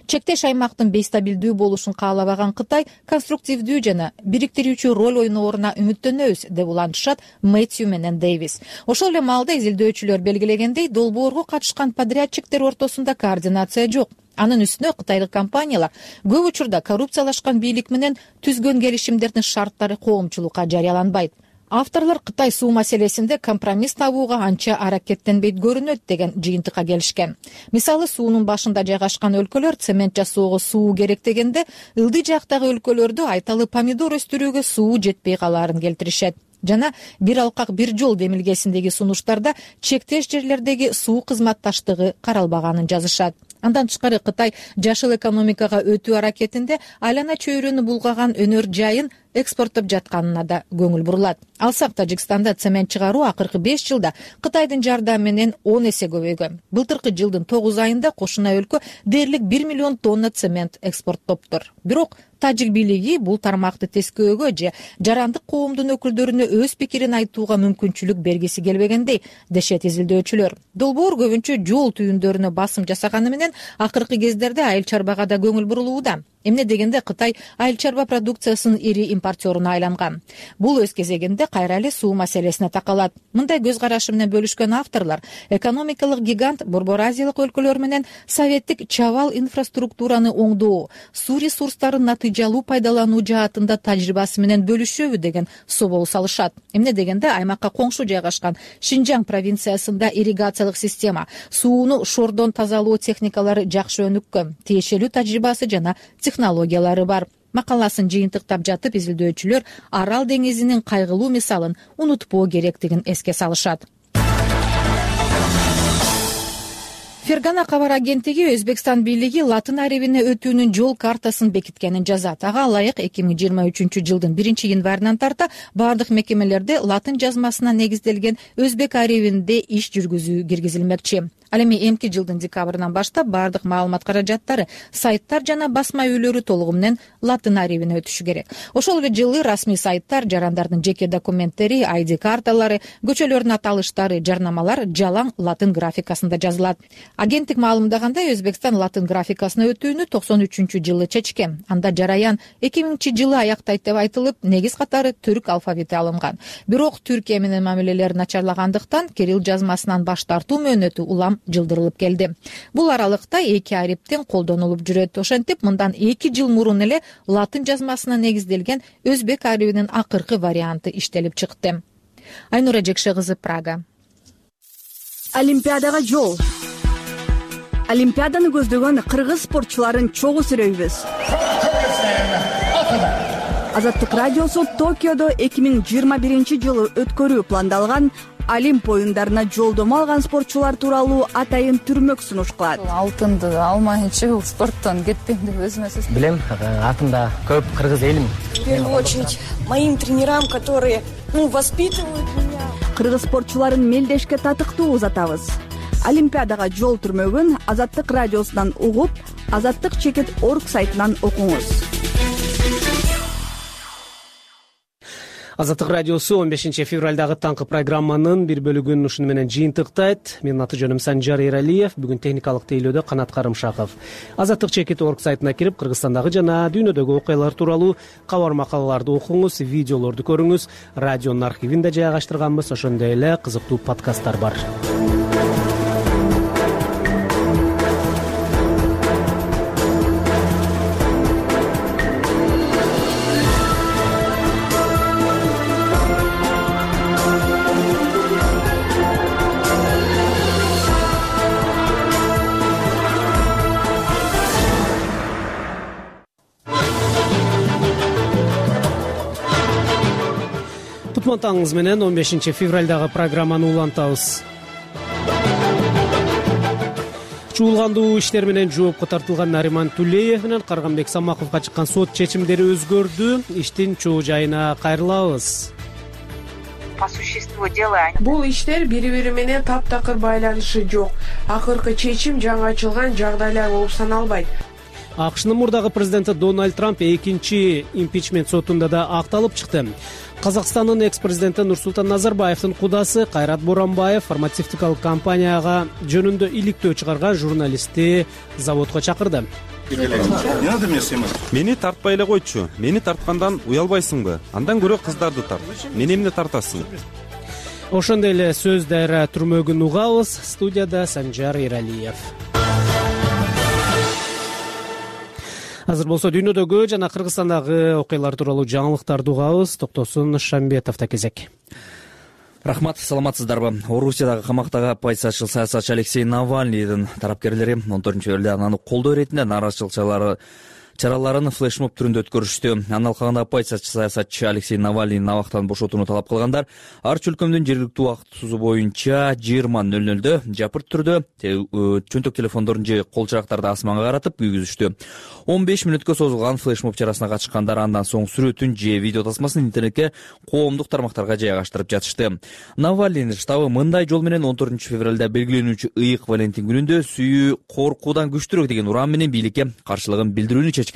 Чектеш аймактын бейстабилдүү болушун каалабаган Кытай конструктивдүү жана бириктирүүчү роль ойнооруна үмүттөнөбүз деп улантышат Мэтью менен Дэвис. Ошол эле маалда изилдөөчүлөр белгилегендей, долбоорго катышкан подрядчиктер ортосунда координация жок. Анын үстүнө кытайлык компаниялар көп учурда коррупциялашкан бийлик менен түзгөн келишимдердин шарттары коомчулукка жарыяланбайт. Авторлор Кытай суу маселесинде компромисс табууга анча аракеттенбейт көрүнөт деген жыйынтыкка келишкен. Мисалы, суунун башында жайгашкан өлкөлөр цемент жасоого суу керек дегенде, ылдый жактагы өлкөлөрдө айталы помидор өстүрүүгө суу жетпей калаарын келтиришет. Жана бир алкак бир жол демилгесиндеги сунуштарда чектеш жерлердеги суу кызматташтыгы каралбаганын жазышат. Андан тышкары Кытай жашыл экономикага өтүү аракетинде айлана чөйрөнү булгаган өнөр жайын экспорттоп жатканына да көңүл бурулат. Алсак, Тажикстанда цемент чыгаруу акыркы 5 жылда Кытайдын жардамы менен 10 эсе көбөйгөн. Былтыркы жылдын 9 айында кошуна өлкө дээрлик 1 миллион тонна цемент экспорттоптур. Бирок тажик бийлиги бул тармакты тескөөгө же жарандык коомдун өкүлдөрүнө өз пикирин айтууга мүмкүнчүлүк бергиси келбегендей дешет изилдөөчүлөр. Долбоор көбүнчө жол түйүндөрүнө басым жасаганы менен акыркы кездерде айыл чарбага да көңүл бурулууда. Эмне дегенде Кытай айыл чарба продукциясынын ири импортеруна айланган. Бул өз кезегинде кайра эле суу маселесине такалат. Мындай көз карашы менен бөлүшкөн авторлор экономикалык гигант Борбор Азиялык өлкөлөр менен советтик чабал инфраструктураны оңдоо, суу ресурстарын натыйжалуу пайдалануу жаатында тажрыйбасы менен бөлүшөбү деген собол салышат. Эмне дегенде аймакка коңшу жайгашкан Шинжаң провинциясында ирригациялык система, сууну шордон тазалоо техникалары жакшы өнүккөн, тиешелүү тажрыйбасы жана технологиялары бар. Макаласын жыйынтыктап жатып, изилдөөчүлөр Арал деңизинин кайгылуу мисалын унутпоо керектигин эске салышат. Фергана кабар агенттиги Өзбекстан бийлиги Латын аребине өтүүнүн жол картасын бекиткенин жазат. Ага ылайык 2023 жылдын 1-январынан тарта бардык мекемелерде латын жазмасына негизделген өзбек аребинде иш жүргүзүү киргизилмекчи. Ал эми эмки жылдын декабрынан баштап бардык маалымат каражаттары, сайттар жана басма үйлөрү толугу менен латын аребине өтүшү керек. Ошол эле жылы расмий сайттар жарандардын жеке документтери, ID карталары, көчөлөрдүн аталыштары, жарнамалар жалаң латын графикасында жазылат. Агенттик маалымдагандай, Өзбекстан латын графикасына өтүүнү 93-жылы чечкен. Анда жараян 2000-жылы аяктайт деп айтылып, негиз катары түрк алфавити алынган. Бирок Түркия менен мамилелер начарлагандыктан кирилл жазмасынан баш тартуу мөөнөтү улам жылдырылып келди. Бул аралыкта эки ариптен колдонулуп жүрөт. Ошентип, мындан 2 жыл мурун эле латын жазмасына негизделген өзбек аребинин акыркы варианты иштелип чыкты. Айнура Жекше кызы, Прага. Олимпиадага жол. Олимпиаданы көздөгөн кыргыз спортчуларын чогуу сүрөйбүз. Азаттык радиосу Токиодо 2021-жылы өткөрүү пландалган Олимп оюндарына жолдомо алган спортчулар тууралуу атайын түрмөк сунуш кылат. Алтынды алмайынча бул спорттон кетпейм деп өзүмө сөз. Билем, атымда көп кыргыз элим. В первую очередь моим тренерам, которые воспитывают меня. Кыргыз спортчуларын мелдешке татыктуу узатабыз. Олимпиадага жол түрмөгүн Азаттык радиосунан угуп, Азаттык чекит орг сайтынан окуңуз. Азаттык радиосу 15 февралдагы таңкы программанын бир бөлүгүн ушуну менен жыйынтыктайт. Менин аты жөнүм Санжар Эралиев. Бүгүн техникалык тейлөөдө Канат Карымшаков. Азаттык чекит орг сайтына кирип, Кыргызстандагы жана дүйнөдөгү окуялар тууралуу кабар макалаларды окуңуз, видеолорду көрүңүз. Радионун архивинде жайгаштырганбыз, ошондой эле кызыктуу подкасттар бар. Таңыңыз менен 15 февралдагы программаны улантабыз. Чуулгандуу иштер менен жоопко тартылган Нариман Тулеев менен Карганбек Самаковго чыккан сот чечимдери өзгөрдү. Иштин чоо жайына кайрылабыз. По существу дела. Бул иштер бири-бири менен таптакыр байланышы жок. Акыркы чечим жаңы ачылган жагдайлар болуп саналбайт. АКШнын мурдагы президенти Дональд Трамп экинчи импичмент сотунда да акталып чыкты. Казакстандын экс-президенти Нурсултан Назарбаевдин кудасы Кайрат Боранбаев фармацевтикалык компанияга жөнүндө иликтөө чыгарган журналистти заводко чакырды. Мени тартпай эле койчу. Мени тарткандан уялбайсыңбы? Андан көрө кыздарды тарт. Мени эмне тартасың? Ошондой эле сөз дайра түрмөгүн угабыз. Студияда Санжар Эралиев. Азыр болсо дүйнөдөгү жана Кыргызстандагы окуялар тууралуу жаңылыктарды угабыз. Токтосун Шамбетовдо кезек. Рахмат, саламатсыздарбы? Орусиядагы камактагы оппозициячыл саясатчы Алексей Навальныйдын тарапкерлери 14-февралда анын колдоо иретинде нааразычылык чараларын флешмоб түрүндө өткөрүштү. Анын алкагында оппозициячы саясатчы Алексей Навальныйдын абактан бошотууну талап кылгандар ар өлкөмдүн жергиликтүү убакыт сузу боюнча 20:00 жапырт түрдө чөнтөк телефондорун же кол чырактарды асманга каратып күйгүзүштү. 15 мүнөткө созулган флешмоб чарасына катышкандар андан соң сүрөтүн же видео тасмасын интернетке коомдук тармактарга жайгаштырып жатышты. Навальныйдын штабы мындай жол менен 14-февралда белгиленүүчү ыйык Валентин күнүндө сүйүү коркуудан күчтүүрөөк деген уран менен бийликке каршылыгын билдирүүнү чечкен.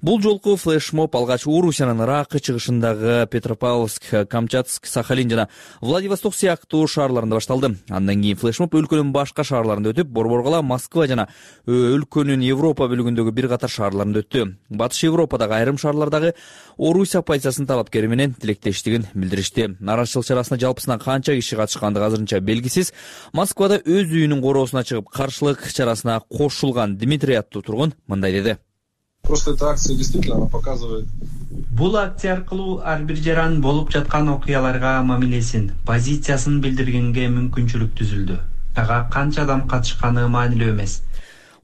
Бул жолку флешмоб алгач Орусиянын Ракы чыгышындагы Петропавловск, Камчатск, Сахалин жана Владивосток сыяктуу шаарларында башталды. Андан кийин флешмоб өлкөнүн башка шаарларында өтүп, Борборгала, Москва жана өлкөнүн Европа бөлүгүндөгү бир катар шаарларында өттү. Батыш Европадагы айрым шаарлардагы Орусия оппозициясынын талапкери менен тилектештигин билдиришти. Нааразычылык чарасына жалпысынан канча киши катышкандыгы азырынча белгисиз. Москвада өз үйүнүн короосуна чыгып каршылык чарасына кошулган Дмитрий аттуу тургун мындай деди. Просто эта акция действительно она показывает. Бул акция аркылуу ар бир жаран болуп жаткан окуяларга мамилесин, позициясын билдиргенге мүмкүнчүлүк түзүлдү. Ага канча адам катышканы маанилүү эмес.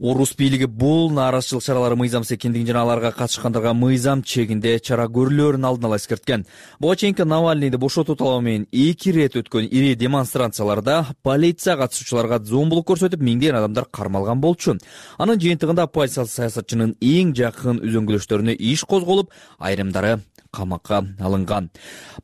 Орус бийлиги бул нааразычылык чаралары мыйзамсыз экендигин жана аларга катышкандарга мыйзам чегинде чара көрүлөөрүн алдын ала эскерткен. Буга чейинки Навальныйды бошотуу талабы менен 2 ирет өткөн ири демонстрацияларда полиция катышуучуларга зомбулук көрсөтүп, миңдеген адамдар кармалган болчу. Анын жыйынтыгында оппозициялык саясатчынын эң жакын үзөңгүлөштөрүнө иш козголуп, айрымдары камакка алынган.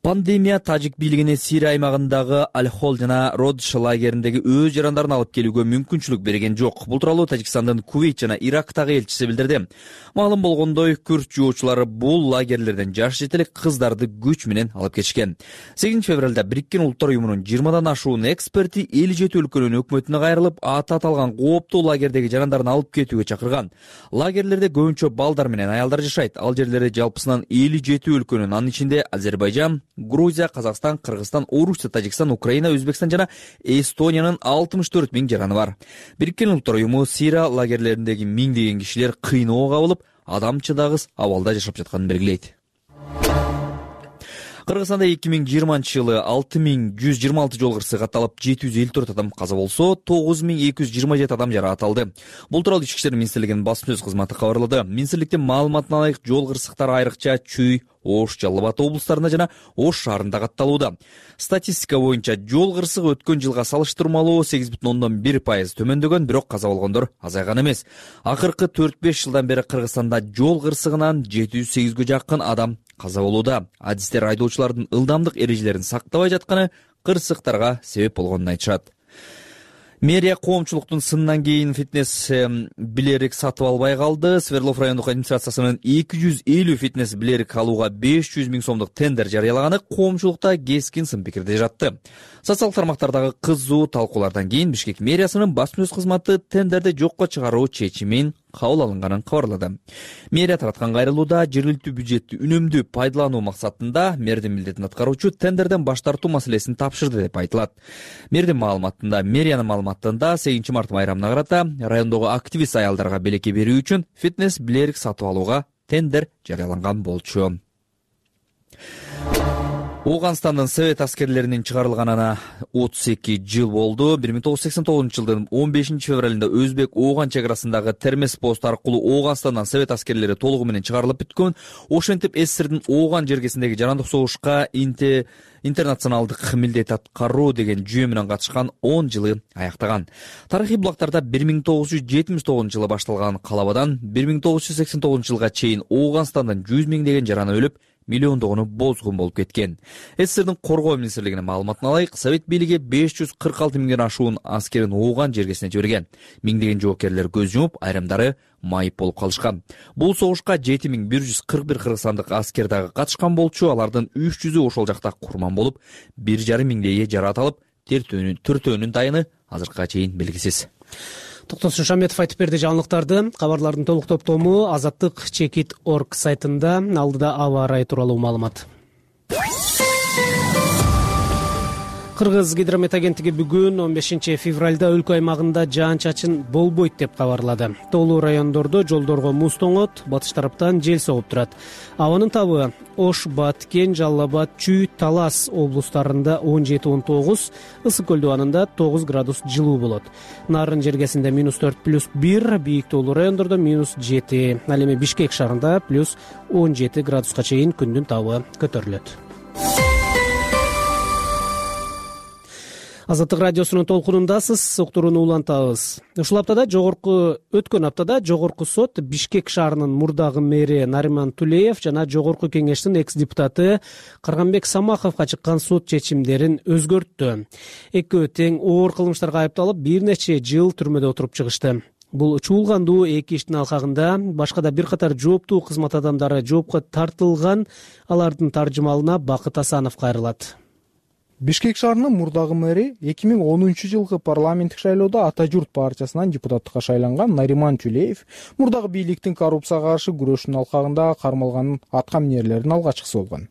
Пандемия тажик бийлигине Сирия аймагындагы Аль-Хол жана Родш лагериндеги өз жарандарын алып келүүгө мүмкүнчүлүк берген жок. Бул тууралуу Тажикстандын Кувейт жана Ирактагы элчиси билдирди. Маалым болгондой, күрд жоочулары бул лагерлерден жаш жетелик кыздарды күч менен алып кетишкен. 8-февралда Бириккен Улуттар уюмунун 20дан ашуун эксперти эл жети өлкөнүн өкмөтүнө кайрылып, аты аталган кооптуу лагердеги жарандарын алып кетүүгө чакырган. Лагерлерде көбүнчө балдар менен аялдар жашайт. Ал жерлерде жалпысынан 57 өлкөнүн, анын ичинде Азербайжан, Грузия, Казакстан, Кыргызстан, Орусия, Тажикстан, Украина, Өзбекстан жана Эстониянын 64 000 жараны бар. Бириккен Улуттар уюму Сирия лагерлериндеги миңдеген кишилер кыйноого кабылып, адам чыдагыс абалда жашап жатканын белгилейт. Кыргызстанда 2020-жылы 6126 жол кырсыгы катталып, 754 адам каза болсо, 9227 адам жаракат алды. Бул тууралуу Ички иштер министрлигинин басма сөз кызматы кабарлады. Министрликтин маалыматына ылайык жол кырсыктары айрыкча Чүй, Ош, Жалал Абад облустарында жана Ош шаарында катталууда. Статистика боюнча жол кырсыгы өткөн жылга салыштырмалуу 8,1% төмөндөгөн, бирок каза болгондор азайган эмес. Акыркы 4-5 жылдан бери Кыргызстанда жол кырсыгынан 708гө жакын адам каза болууда. Адистер айдоочулардын ылдамдык эрежелерин сактабай жатканы кырсыктарга себеп болгонун айтышат. Мэрия коомчулуктун сынынан кийин фитнес билерик сатып албай калды. Свердлов райондук администрациясынын 250 фитнес билерик алууга 500 000 сомдук тендер жарыялаганы коомчулукта кескин сын пикирде жатты. Социалдык тармактардагы кызуу талкуулардан кийин Бишкек мэриясынын басма-сөз кызматы тендерди жокко чыгаруу чечимин кабыл алынганын кабарлады. Мэрия тараткан кайрылууда жергиликтүү бюджетти үнөмдүү пайдалануу максатында мэрдин милдетин аткаруучу тендерден баш тартуу маселесин тапшырды деп айтылат. Мэрдин маалыматында, мэриянын маалыматында 8 март байрамына карата райондогу активист аялдарга белекке берүү үчүн фитнес билерик сатып алууга тендер жарыяланган болчу. Ооганстандын совет аскерлеринин чыгарылганына 32 жыл болду. 1989 жылдын 15 февралында Өзбек-Ооган чек арасындагы Термес пост аркылуу Ооганстандан совет аскерлери толугу менен чыгарылып бүткөн. Ошентип СССРдин Ооган жергесиндеги жарандык согушка интернационалдык милдет аткаруу деген жүйө менен катышкан 10 жылы аяктаган. Тарыхый булактарда 1979 жылы башталган калабадан 1989 жылга чейин Ооганстандан 100 миңдеген жаран өлүп, миллиондогону бозгун болуп кеткен. СССРдин коргоо министрлигинин маалыматына ылайык, совет бийлиги 546 миңден ашуун аскерин Ооган жергесине жиберген. Миңдеген жоокерлер көз жумуп, айрымдары майып болуп калышкан. Бул согушка 7141 кыргызстандык аскер дагы катышкан болчу. Алардын 300-ü ошол жакта курман болуп, 1,5 миңдейи жараат алып, төртөөнүн дайыны азыркыга чейин белгисиз. Токтосун Шаметов айтып берди жаңылыктарды. Кабарлардын толук топтому Азаттык Чекит.org сайтында. Алдыда аба ырайы тууралуу маалымат. Кыргыз гидромет агенттиги бүгүн 15 февралда өлкө аймагында жаан-чачын болбойт деп кабарлады. Тоолуу райондордо жолдорго муз тоңот, батыш тараптан жел согуп турат. Абанын табы Ош, Баткен, Жалал Абад, Чүй, Талас облустарында 17-19, Ысык көл дубанында 9 градус жылуу болот. Нарын жергесинде -4+1, бийик тоолуу райондордо -7. Ал эми Бишкек шаарында +17 градуска чейин күндүн табы көтөрүлөт. Азаттык радиосунун толкунундасыз, уктурууну улантабыз. Өткөн аптада жогорку сот Бишкек шаарынын мурдагы мэри Нариман Тулеев жана жогорку кеңештин экс-депутаты Карганбек Самаховго чыккан сот чечимдерин өзгөрттү. Экөө тең оор кылмыштарга айыпталып, бир нече жыл түрмөдө отуруп чыгышты. Бул чуулгандуу эки иштин алкагында башка да бир катар жооптуу кызмат адамдары жоопко тартылган. Алардын таржымалына Бакыт Асанов кайрылат. Бишкек шаарынын мурдагы мэри 2010 жылкы парламенттик шайлоодо Ата журт партиясынан депутаттыкка шайланган Нариман Тулеев мурдагы бийликтин коррупцияга каршы күрөшүнүн алкагында кармалганын атка минерлердин алгачкысы болгон.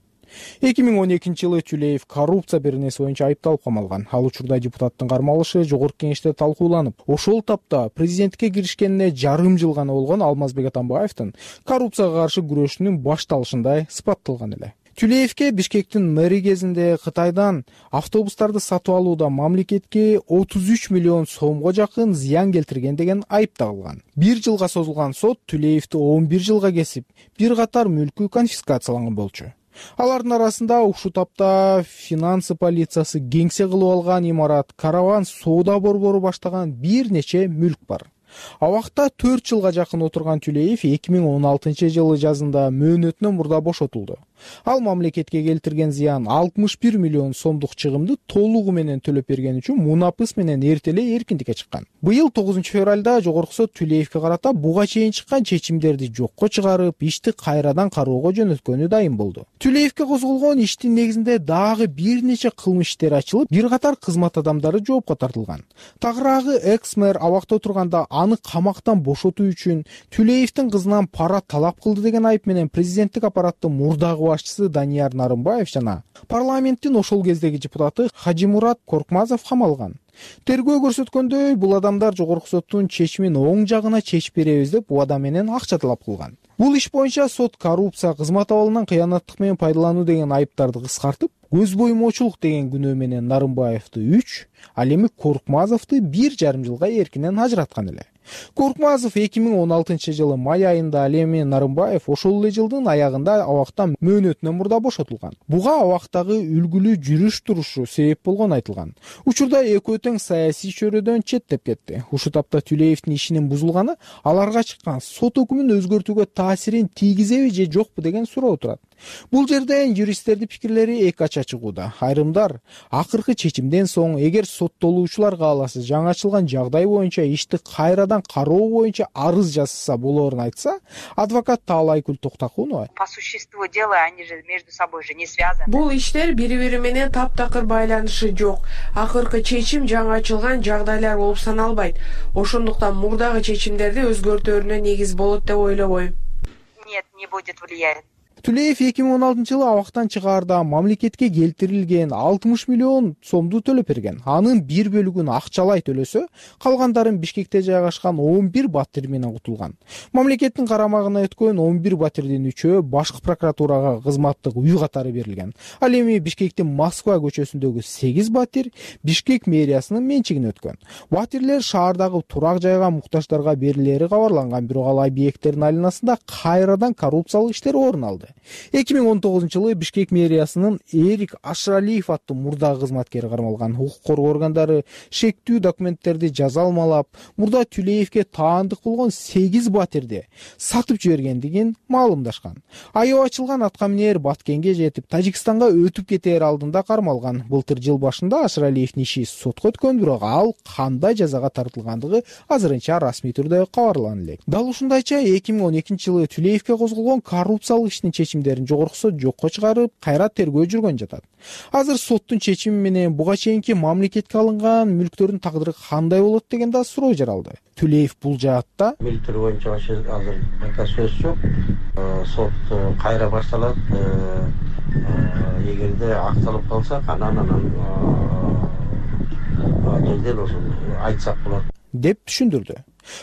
2012 жылы Тулеев коррупция беренеси боюнча айыпталып камалган. Ал учурда депутаттын кармалышы жогорку кеңеште талкууланып, ошол тапта президенттикке киришкенине жарым жыл гана болгон Алмазбек Атамбаевдин коррупцияга каршы күрөшүнүн башталышындай сыпатталган эле. Тулеевке Бишкектин мэри кезинде Кытайдан автобустарды сатып алууда мамлекетке 33 миллион сомго жакын зыян келтирген деген айып тагылган. Бир жылга созулган сот Тулеевди 11 жылга кесип, бир катар мүлкү конфискацияланган болчу. Алардын арасында ушул тапта финансы полициясы кеңсе кылып алган имарат, караван соода борбору баштаган бир нече мүлк бар. Абакта 4 жылга жакын отурган Тулеев 2016 жылы жазында мөөнөтүнөн мурда бошотулду. Ал мамлекетке келтирген зыян 61 миллион сомдук чыгымды толугу менен төлөп берген үчүн мунапыс менен эртеле эркиндикке чыккан. Быйыл 9 февралда жогорку сот Тулеевке карата буга чейин чыккан чечимдерди жокко чыгарып, ишти кайрадан кароого жөнөткөнү дайым болду. Тулеевке козголгон иштин негизинде дагы бир нече кылмыш иштери ачылып, бир катар кызмат адамдары жоопко тартылган. Тагыраагы экс-мэр абакта отурганда аны камактан бошотуу үчүн Тулеевдин кызынан пара талап кылды деген айып менен президенттик аппараттын мурдагы башчысы Данияр Нарымбаев жана парламенттин ошол кездеги депутаты Хажимурат Коркмазов камалган. Тергөө көрсөткөндөй, бул адамдар жогорку соттун чечимин оң жагына чечип беребиз деп убада менен акча талап кылган. Бул иш боюнча сот коррупция, кызмат абалынан кыянаттык менен пайдалануу деген айыптарды кыскартып, көз боймоочулук деген күнөө менен Нарымбаевди 3, ал эми Коркмазовду 1,5 жылга эркинен ажыраткан эле. Коркмазов 2016 жылы май айында, ал эми Нарымбаев ошол эле жылдын аягында абактан мөөнөтүнөн мурда бошотулган. Буга абактагы үлгүлүү жүрүш турушу себеп болгону айтылган. Учурда экөө тең саясий чөйрөдөн четтеп кетти. Ушул тапта Тулеевдин ишинин бузулганы аларга чыккан сот өкүмүн өзгөртүүгө таасирин тийгизеби же жокпу деген суроо турат. Бул жерден юристтердин пикирлери эки ача чыгууда. Айрымдар акыркы чечимден соң эгер соттолуучулар кааласа жаңы ачылган жагдай боюнча ишти кайрадан кароо боюнча арыз жазса болоорун айтса, адвокат Таалайкүл Токтакунова по существу дела они же между собой же не связаны. Бул иштер бири-бири менен таптакыр байланышы жок. Акыркы чечим жаңы ачылган жагдайлар болуп саналбайт. Ошондуктан мурдагы чечимдерди өзгөртөөрүнө негиз болот деп ойлобойм. Нет, не будет влиять. Түлеев 2016-жылы абактан чыгаарда мамлекетке келтирилген 60 миллион сомду төлөп берген. Анын бир бөлүгүн акчалай төлөсө, калгандарын Бишкекте жайгашкан 11 батир менен кутулган. Мамлекеттин карамагына өткөн 11 батирдин 3-өө башкы прокуратурага кызматтык үй катары берилген. Ал эми Бишкектин Москва көчөсүндөгү 8 батир Бишкек мэриясынын менчигине өткөн. Батирлер шаардагы турак жайга муктаждарга берилери кабарланган, бирок ал объекттердин айланасында кайрадан коррупциялык иштер орун алды. 2019-жылы Бишкек мэриясынын Эрик Ашралиев аттуу мурдагы кызматкери кармалган. Укук коргоо органдары шектүү документтерди жаза алмалап, мурда Түлеевке таандык болгон 8 батирди сатып жибергендигин маалымдашкан. Аябы ачылган аткаминер Баткенге жетип, Тажикстанга өтүп кетээр алдында кармалган. Былтыр жыл башында Ашралиевдин иши сотко өткөн, бирок ал кандай жазага тартылгандыгы азырынча расмий түрдө кабарлана элек. Дал ушундайча 2012-жылы Түлеевке козголгон коррупциялык иштин чечимдерин жогорку сот жокко чыгарып, кайра тергөө жүргөн жатат. Азыр соттун чечими менен буга чейинки мамлекетке алынган мүлктөрдүн тагдыры кандай болот деген да суроо жаралды. Түлеев бул жаатта мүлктөр боюнча азыр сөз жок. Сот кайра башталат. Эгерде акталып калса, анан жерден ошону айтсак болот деп түшүндүрдү.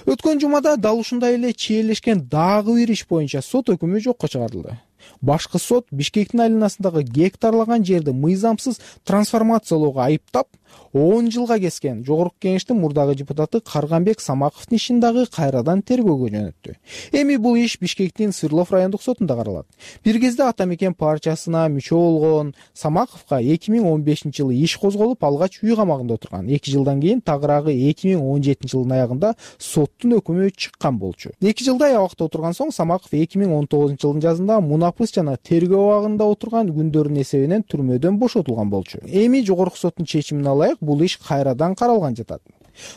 Өткөн жумада дал ушундай эле чиелешкен дагы бир иш боюнча сот өкүмү жокко чыгарылды. Башкы сот Бишкектин айланасындагы гектарлаган жерди мыйзамсыз трансформациялоого айыптап, 10 жылга кескен жогорку кеңештин мурдагы депутаты Карганбек Самаковдун ишин дагы кайрадан тергөөгө жөнөттү. Эми бул иш Бишкектин Свердлов райондук сотунда каралат. Бир кезде Ата мекен партиясына мүчө болгон Самаковго 2015-жылы иш козголуп, алгач үй камагында отурган. 2 жылдан кийин тагыраагы 2017-жылдын аягында соттун өкүмү чыккан болчу. 2 жылдай абакта отурган соң Самаков 2019-жылдын жазында мунапыс жана тергөө абагында отурган күндөрдүн эсебинен түрмөдөн бошотулган болчу. Эми жогорку соттун чечимине ылайык бул иш кайрадан каралган жатат.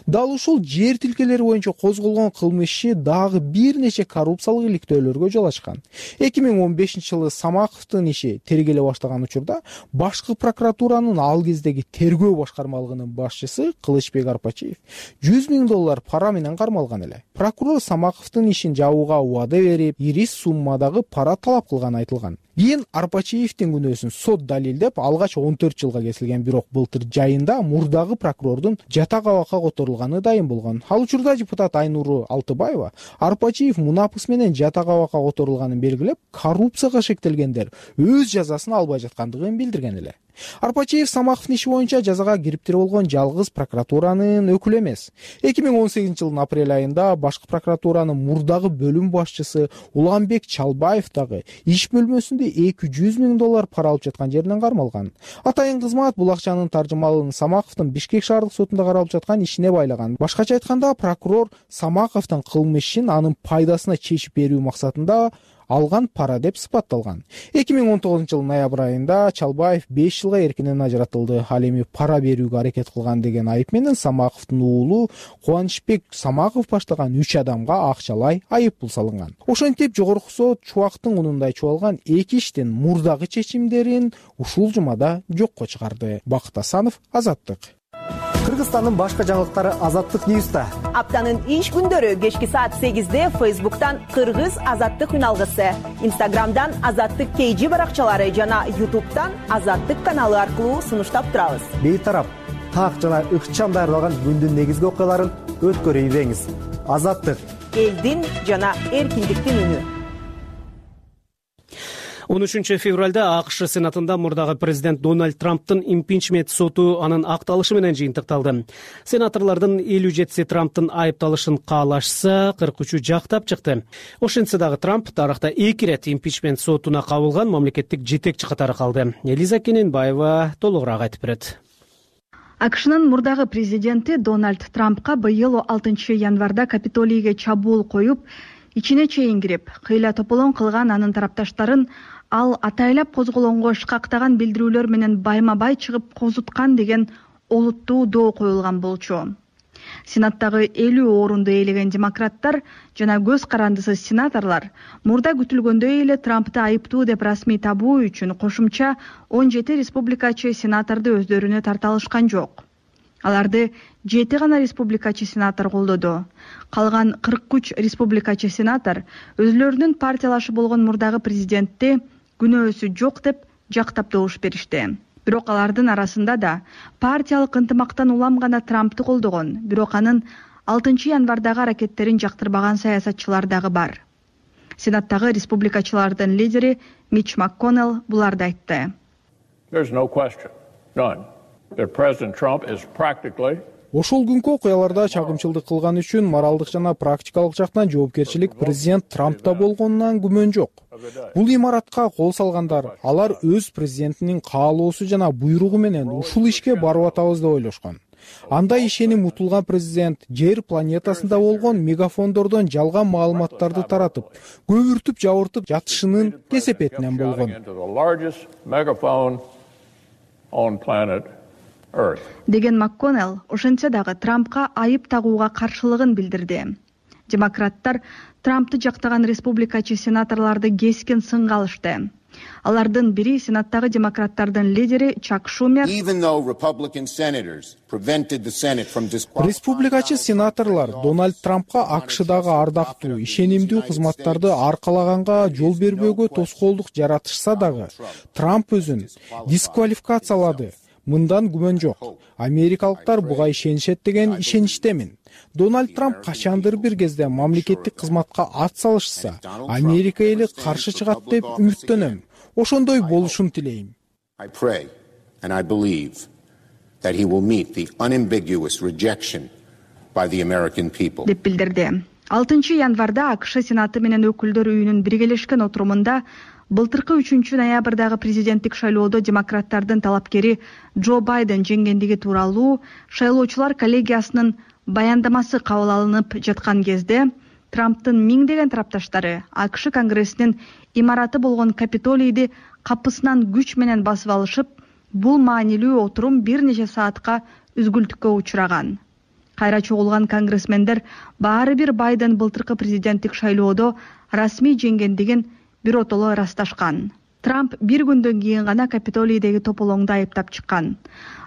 Дал ушул жер тилкелери боюнча козголгон кылмыш иши дагы бир нече коррупциялык иликтөөлөргө жол ачкан. 2015-жылы Самаковдун иши тергеле баштаган учурда башкы прокуратуранын ал кездеги тергөө башкармалыгынын башчысы Кылычбек Арпачиев $100 000 пара менен кармалган эле. Прокурор Самаковдун ишин жабууга убада берип, ири суммадагы пара талап кылганы айтылган. Кийин Арпачиевдин күнөөсүн сот далилдеп, алгач 14 жылга кесилген, бирок былтыр жайында мурдагы прокурордун жатак абакка которулганы дайым болгон. Ал учурда депутат Айнуру Алтыбаева Арпачиев мунапыс менен жатак абакка которулганын белгилеп, коррупцияга шектелгендер өз жазасын албай жаткандыгын билдирген эле. Арпачиев Самаковдун иши боюнча жазага кириптир болгон жалгыз прокуратуранын өкүлү эмес. 2018-жылдын апрель айында башкы прокуратуранын мурдагы бөлүм башчысы Уланбек Чалбаев дагы иш бөлмөсүндө $200 000 пара алып жаткан жеринен кармалган. Атайын кызмат бул акчанын таржымалын Самаковдун Бишкек шаардык сотунда каралып жаткан ишине байлаган. Башкача айтканда, прокурор Самаковдун кылмышын анын пайдасына чечип берүү максатында алган пара деп сыпатталган. 2019-жылдын ноябрь айында Чалбаев 5 жылга эркинен ажыратылды. Ал эми пара берүүгө аракет кылган деген айып менен Самаковдун уулу Кубанычбек Самаков баштаган 3 адамга акчалай айып пул салынган. Ошентип жогорку сот чубактын унундай чубалган 2 иштин мурдагы чечимдерин ушул жумада жокко чыгарды. Бакыт Асанов, Азаттык. Кыргызстандын башка жаңылыктары Азаттык Ньюста. Аптанын иш күндөрү кечки саат 8-де Facebook'tan Кыргыз Азаттык үналгысы, Instagram'dan Азаттык KG баракчалары жана YouTube'дан Азаттык каналы аркылуу сунуштап турабыз. Бейтарап, так жана ыкчам даярдалган күндүн негизги окуяларын өткөрүп ийбеңиз. Азаттык, элдин жана эркиндиктин үнү. 13 февралда АКШ Сенатында мурдагы президент Дональд Трамптын импичмент соту анын акталышы менен жыйынтыкталды. Сенаторлордун 57 Трамптын айыпталышын каалашса, 43 жактап чыкты. Ошентсе дагы Трамп тарыхта 2 ирет импичмент сотуна кабылган мамлекеттик жетекчи катары калды. Элиза Кененбаева толугураак айтып берет. АКШнын мурдагы президенти Дональд Трампка быйыл 6 январда Капитолийге чабуул коюп, ичине чейин кирип кыйла тополоң кылган анын тарапташтарын ал атайлап козголоңго шкактаган билдирүүлөр менен байма бай чыгып козуткан деген олуттуу доо коюлган болчу. Сенаттагы 50 орунду ээлеген демократтар жана көз карандысыз сенаторлор мурда күтүлгөндөй эле Трампты айыптуу деп расмий табуу үчүн кошумча 17 республикачы сенаторду өздөрүнө тарта алышкан жок. Аларды 7 гана республикачы сенатор колдоду. Калган 43 республикачы сенатор өзлөрүнүн партиялашы болгон мурдагы президентти күнөөсү жок деп жактап добуш беришти. Бирок алардын арасында да партиялык ынтымактан улам гана Трампты колдогон, бирок анын 6 январдагы аракеттерин жактырбаган саясатчылар дагы бар. Сенаттагы республикачылардын лидери Митч МакКоннелл буларды айтты. Ошол күнкү окуяларда чагымчылдык кылган үчүн моралдык жана практикалык жактан жоопкерчилик президент Трампта болгонунан күмөн жок. Бул имаратка кол салгандар, алар өз президентинин каалоосу жана буйругу менен ушул ишке барып атабыз деп ойлошкон. Анда ишеним утулган президент жер планетасында болгон мегафондордон жалган маалыматтарды таратып, көбүртүп жабыртып жатышынын кесепетинен болгон. Деген МакКоннелл ошентсе дагы Трампка айып тагууга каршылыгын билдирди. Демократтар Трампты жактаган республикачы сенаторлорду кескин сынга алышты. Алардын бири сенаттагы демократтардын лидери Чак Шумер. Республикачы сенаторлор Дональд Трампка АКШдагы ардактуу, ишенимдүү кызматтарды аркалаганга жол бербөөгө тоскоолдук жаратышса дагы, Трамп өзүн дисквалификациялады. Мындан күмөн жок. Америкалыктар буга ишенишет деген ишеничтемин. Дональд Трамп качандыр бир кезде мамлекеттик кызматка ат салышса, Америка эли каршы чыгат деп үмүттөнөм. Ошондой болушун тилейм. Деп билдирди. 6 январда АКШ Сенаты менен өкүлдөр үйүнүн биргелешкен отурумунда былтыркы 3 ноябрдагы президенттик шайлоодо демократтардын талапкери Джо Байден жеңгендиги тууралуу шайлоочулар коллегиясынын баяндамасы кабыл алынып жаткан кезде Трамптын миңдеген тарапташтары АКШ Конгрессинин имараты болгон Капитолийди капысынан күч менен басып алышып, бул маанилүү отурум бир нече саатка үзгүлтүккө учураган. Кайра чогулган конгрессмендер баары бир Байден былтыркы президенттик шайлоодо расмий жеңгендигин биротоло ырасташкан. Трамп бир күндөн кийин гана Капитолийдеги тополоңду айыптап чыккан.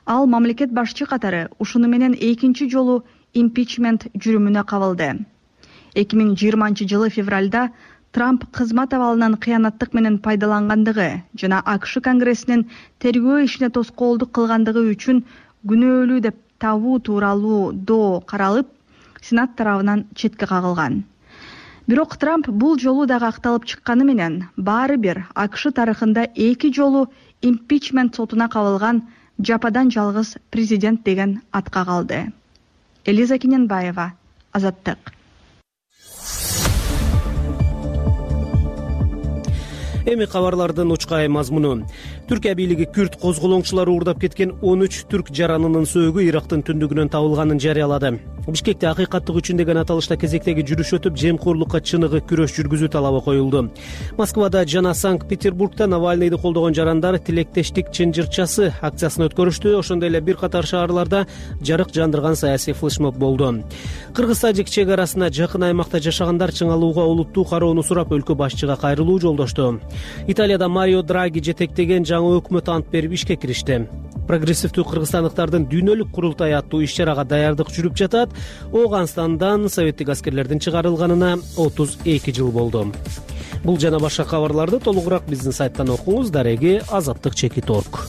Ал мамлекет башчы катары ушуну менен экинчи жолу импичмент жүрүмүнө кабылды. 2020 жылы февралда Трамп кызмат абалынан кыянаттык менен пайдалангандыгы жана АКШ Конгрессинин тергөө ишине тоскоолдук кылгандыгы үчүн күнөөлүү деп табуу тууралуу доо каралып, Сенат тарабынан четке кагылган. Бирок Трамп бул жолу дагы акталып чыкканы менен баары бир АКШ тарыхында 2 жолу импичмент сотуна кабылган жападан жалгыз президент деген атка калды. Элиза Кененбаева, Азаттык. Эми кабарлардын учкай мазмуну. Түркия бийлиги Күрд козголоңчулары уурдап кеткен 13 түрк жаранынын сөөгү Ирактын түндүгүнөн табылганын жарыялады. Бишкекте акыйкаттык үчүн деген аталышта кезектеги жүрүш өтүп, жемкорлукка чыныгы күрөш жүргүзүү талабы коюлду. Москвада жана Санкт-Петербургда Навальныйды колдогон жарандар тилектештик чынжырчасы акциясын өткөрүштү. Ошондой эле бир катар шаарларда жарык жандырган саясий флешмоб болду. Кыргыз-тажик чек арасына жакын аймакта жашагандар чыңалууга олуттуу кароону сурап өлкө башчыга кайрылуу жолдошту. Италияда Марио Драги жетектеген жаңы өкмөт ант берип ишке киришти. Прогрессивдүү кыргызстандыктардын дүйнөлүк курултай аттуу иш-чарага даярдык жүрүп жатат. Ооганстандан советтик аскерлердин чыгарылганына 32 жыл болду. Бул жана башка кабарларды толугураак биздин сайттан окуңуз. Дареги azаттык.org.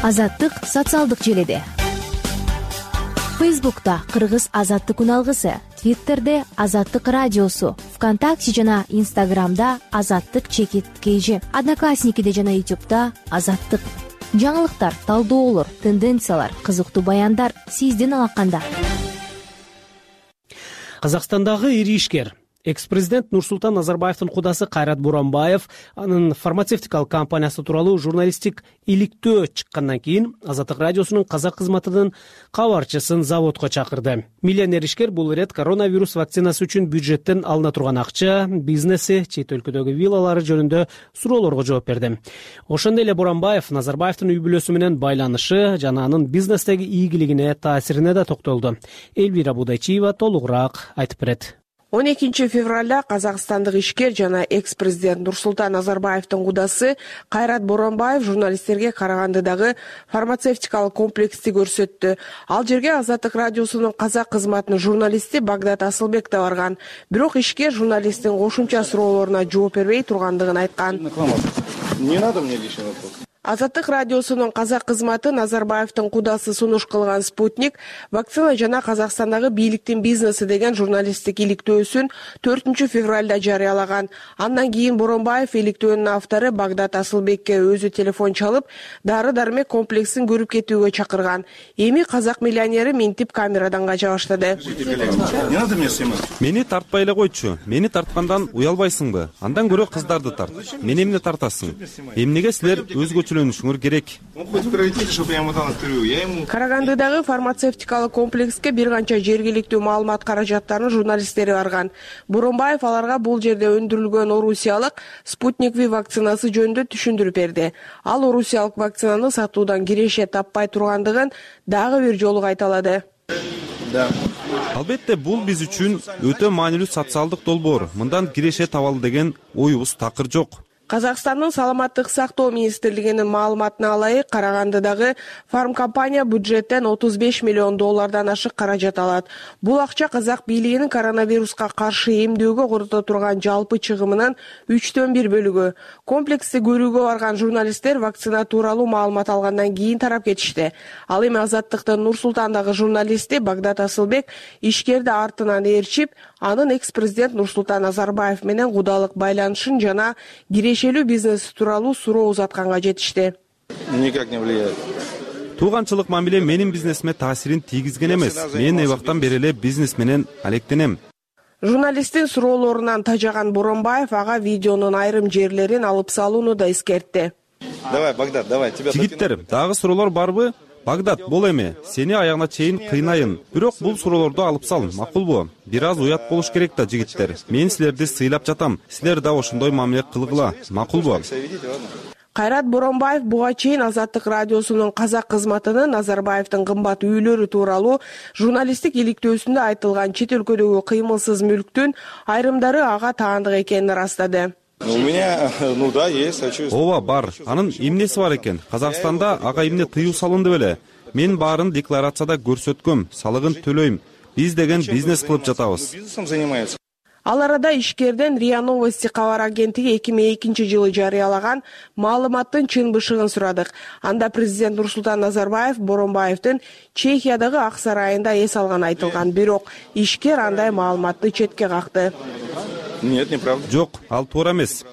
Азаттык социалдык желеде. Фейсбукта Кыргыз азаттык үналгысы, Твиттерде Азаттык радиосу, ВКонтакте жана Инстаграмда Азаттык_KG, Одноклассникиде жана Ютубта Азаттык. Жаңылыктар, талдоолор, тенденциялар, кызыктуу баяндар сиздин алаканда. Казакстандагы ири ишкер Экс-президент Нурсултан Назарбаевдин кудасы Кайрат Боронбаев анын фармацевтикалык компаниясы тууралуу журналисттик иликтөө чыккандан кийин Азаттык радиосунун казак кызматынын кабарчысын заводко чакырды. Миллионер ишкер бул ирет коронавирус вакцинасы үчүн бюджеттен алына турган акча, бизнеси, чет өлкөдөгү виллалары жөнүндө суроолорго жооп берди. Ошондой эле Боронбаев Назарбаевдин үй бүлөсү менен байланышы жана анын бизнестеги ийгилигине, таасирине да токтолду. Элвира Будайчиева толугураак айтып берет. 12 февралда казакстандык ишкер жана экс-президент Нурсултан Назарбаевдин кудасы Кайрат Боронбаев журналисттерге Карагандыдагы фармацевтикалык комплексти көрсөттү. Ал жерге Азаттык радиосунун казак кызматынын журналисти Багдат Асылбек да барган. Бирок ишкер журналисттин кошумча суроолоруна жооп бербей тургандыгын айткан. Не надо мне лишний вопрос. Азаттык радиосунун казак кызматы Назарбаевдин кудасы сунуш кылган «Спутник» вакцина жана Казакстандагы бийликтин бизнеси деген журналисттик иликтөөсүн 4 февралда жарыялаган. Андан кийин Боронбаев иликтөөнүн автору Багдат Асылбекке өзү телефон чалып, дары-дармек комплексин көрүп кетүүгө чакырган. Эми казак миллионери минтип камерадан кача баштады. Мени тартпай эле койчу. Мени тарткандан уялбайсыңбы? Андан көрө кыздарды тарт. Мени эмне тартасың? Эмнеге силер өзгөчө керек. Карагандыдагы фармацевтикалык комплекске бир канча жергиликтүү маалымат каражаттарынын журналисттери барган. Боронбаев аларга бул жерде өндүрүлгөн орусиялык «Спутник V» вакцинасы жөнүндө түшүндүрүп берди. Ал орусиялык вакцинаны сатуудан киреше таппай тургандыгын дагы бир жолу кайталады. Албетте бул биз үчүн өтө маанилүү социалдык долбоор. Мындан киреше табалы деген оюбуз такыр жок. Казакстандын саламаттык сактоо министрлигинин маалыматына ылайык, Карагандыдагы фармкомпания бюджеттен $35 миллион ашык каражат алат. Бул акча казак бийлигинин коронавируска каршы эмдөөгө корото турган жалпы чыгымынын 1/3 бөлүгү. Комплексти көрүүгө барган журналисттер вакцина тууралуу маалымат алгандан кийин тарап кетишти. Ал эми Азаттыктын Нурсултандагы журналисти Багдат Асылбек ишкерди артынан ээрчип, анын экс-президент Нурсултан Назарбаев менен кудалык байланышын жана кирешелүү бизнес тууралуу суроо узатканга жетишти. Никак не влияет. Тууганчылык мамиле менин бизнесиме таасирин тийгизген эмес. Мен эбактан бери эле бизнес менен алектенем. Журналисттин суроолорунан тажаган Боронбаев ага видеонун айрым жерлерин алып салууну да эскертти. Давай, Багдат, давай, тебя. Жигиттер, дагы суроолор барбы? Багдат, бол эми, сени аягына чейин кыйнайын. Бирок бул суроолорду алып сал, макулбу? Бир аз уят болуш керек да, жигиттер. Мен силерди сыйлап жатам. Силер да ошондой мамиле кылгыла, макулбу? Кайрат Боронбаев буга чейин Азаттык радиосунун казак кызматынын Назарбаевдин кымбат үйлөрү тууралуу журналисттик иликтөөсүндө айтылган чет өлкөдөгү кыймылсыз мүлктүн айрымдары ага таандык экенин ырастады. У меня, да, есть, хочу. Ооба, бар. Анын эмнеси бар экен? Казакстанда ага эмне тыюу салынды беле? Мен баарын декларацияда көрсөткөм, салыгын төлөйм. Биз деген бизнес кылып жатабыз. Бизнесом занимается. Ал арада ишкерден РИА Новости кабар агенттиги 2002-жылы жарыялаган маалыматтын чын бышыгын сурадык. Анда президент Нурсултан Назарбаев Боронбаевдин Чехиядагы Ак сарайында эс алганы айтылган, бирок ишкер андай маалыматты четке какты. Нет, неправда. Жок, ал туура эмес.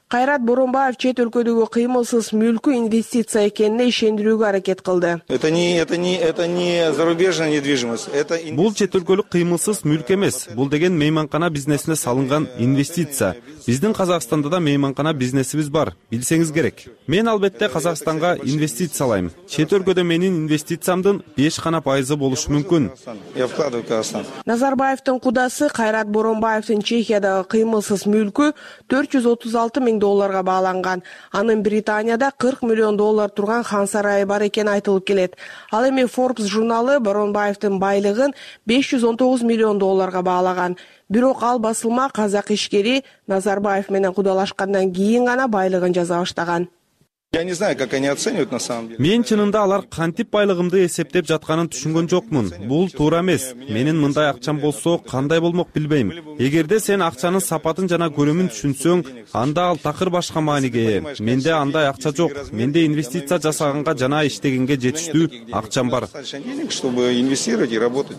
Кайрат Боронбаев чет өлкөдөгү кыймылсыз мүлкү инвестиция экенине ишендирүүгө аракет кылды. Это не зарубежная недвижимость. Бул чет өлкөлүк кыймылсыз мүлк эмес. Бул деген мейманкана бизнесине салынган инвестиция. Биздин Казакстанда да мейманкана бизнесибиз бар, билсеңиз керек. Мен албетте Казакстанга инвестициялайм. Чет өлкөдө менин инвестициямдын 5% болушу мүмкүн. Я вкладываю в Казахстан. Назарбаевдин кудасы Кайрат Боронбаевдин Чехиядагы кыймылсыз мүлкү $436 миң бааланган. Анын Британияда $40 миллион турган хан сарайы бар экени айтылып келет. Ал эми Forbes журналы Боронбаевдин байлыгын $519 миллион баалаган. Бирок ал басылма казак ишкери Назарбаев менен кудалашкандан кийин гана байлыгын жаза баштаган. Я не знаю, как они оценивают на самом деле. Мен чынында алар кантип байлыгымды эсептеп жатканын түшүнгөн жокмун. Бул туура эмес. Менин мындай акчам болсо кандай болмок билбейм. Эгерде сен акчанын сапатын жана көлөмүн түшүнсөң, анда ал такыр башка мааниге ээ. Менде андай акча жок. Менде инвестиция жасаганга жана иштегенге жетиштүү акчам бар. Чтобы инвестировать и работать.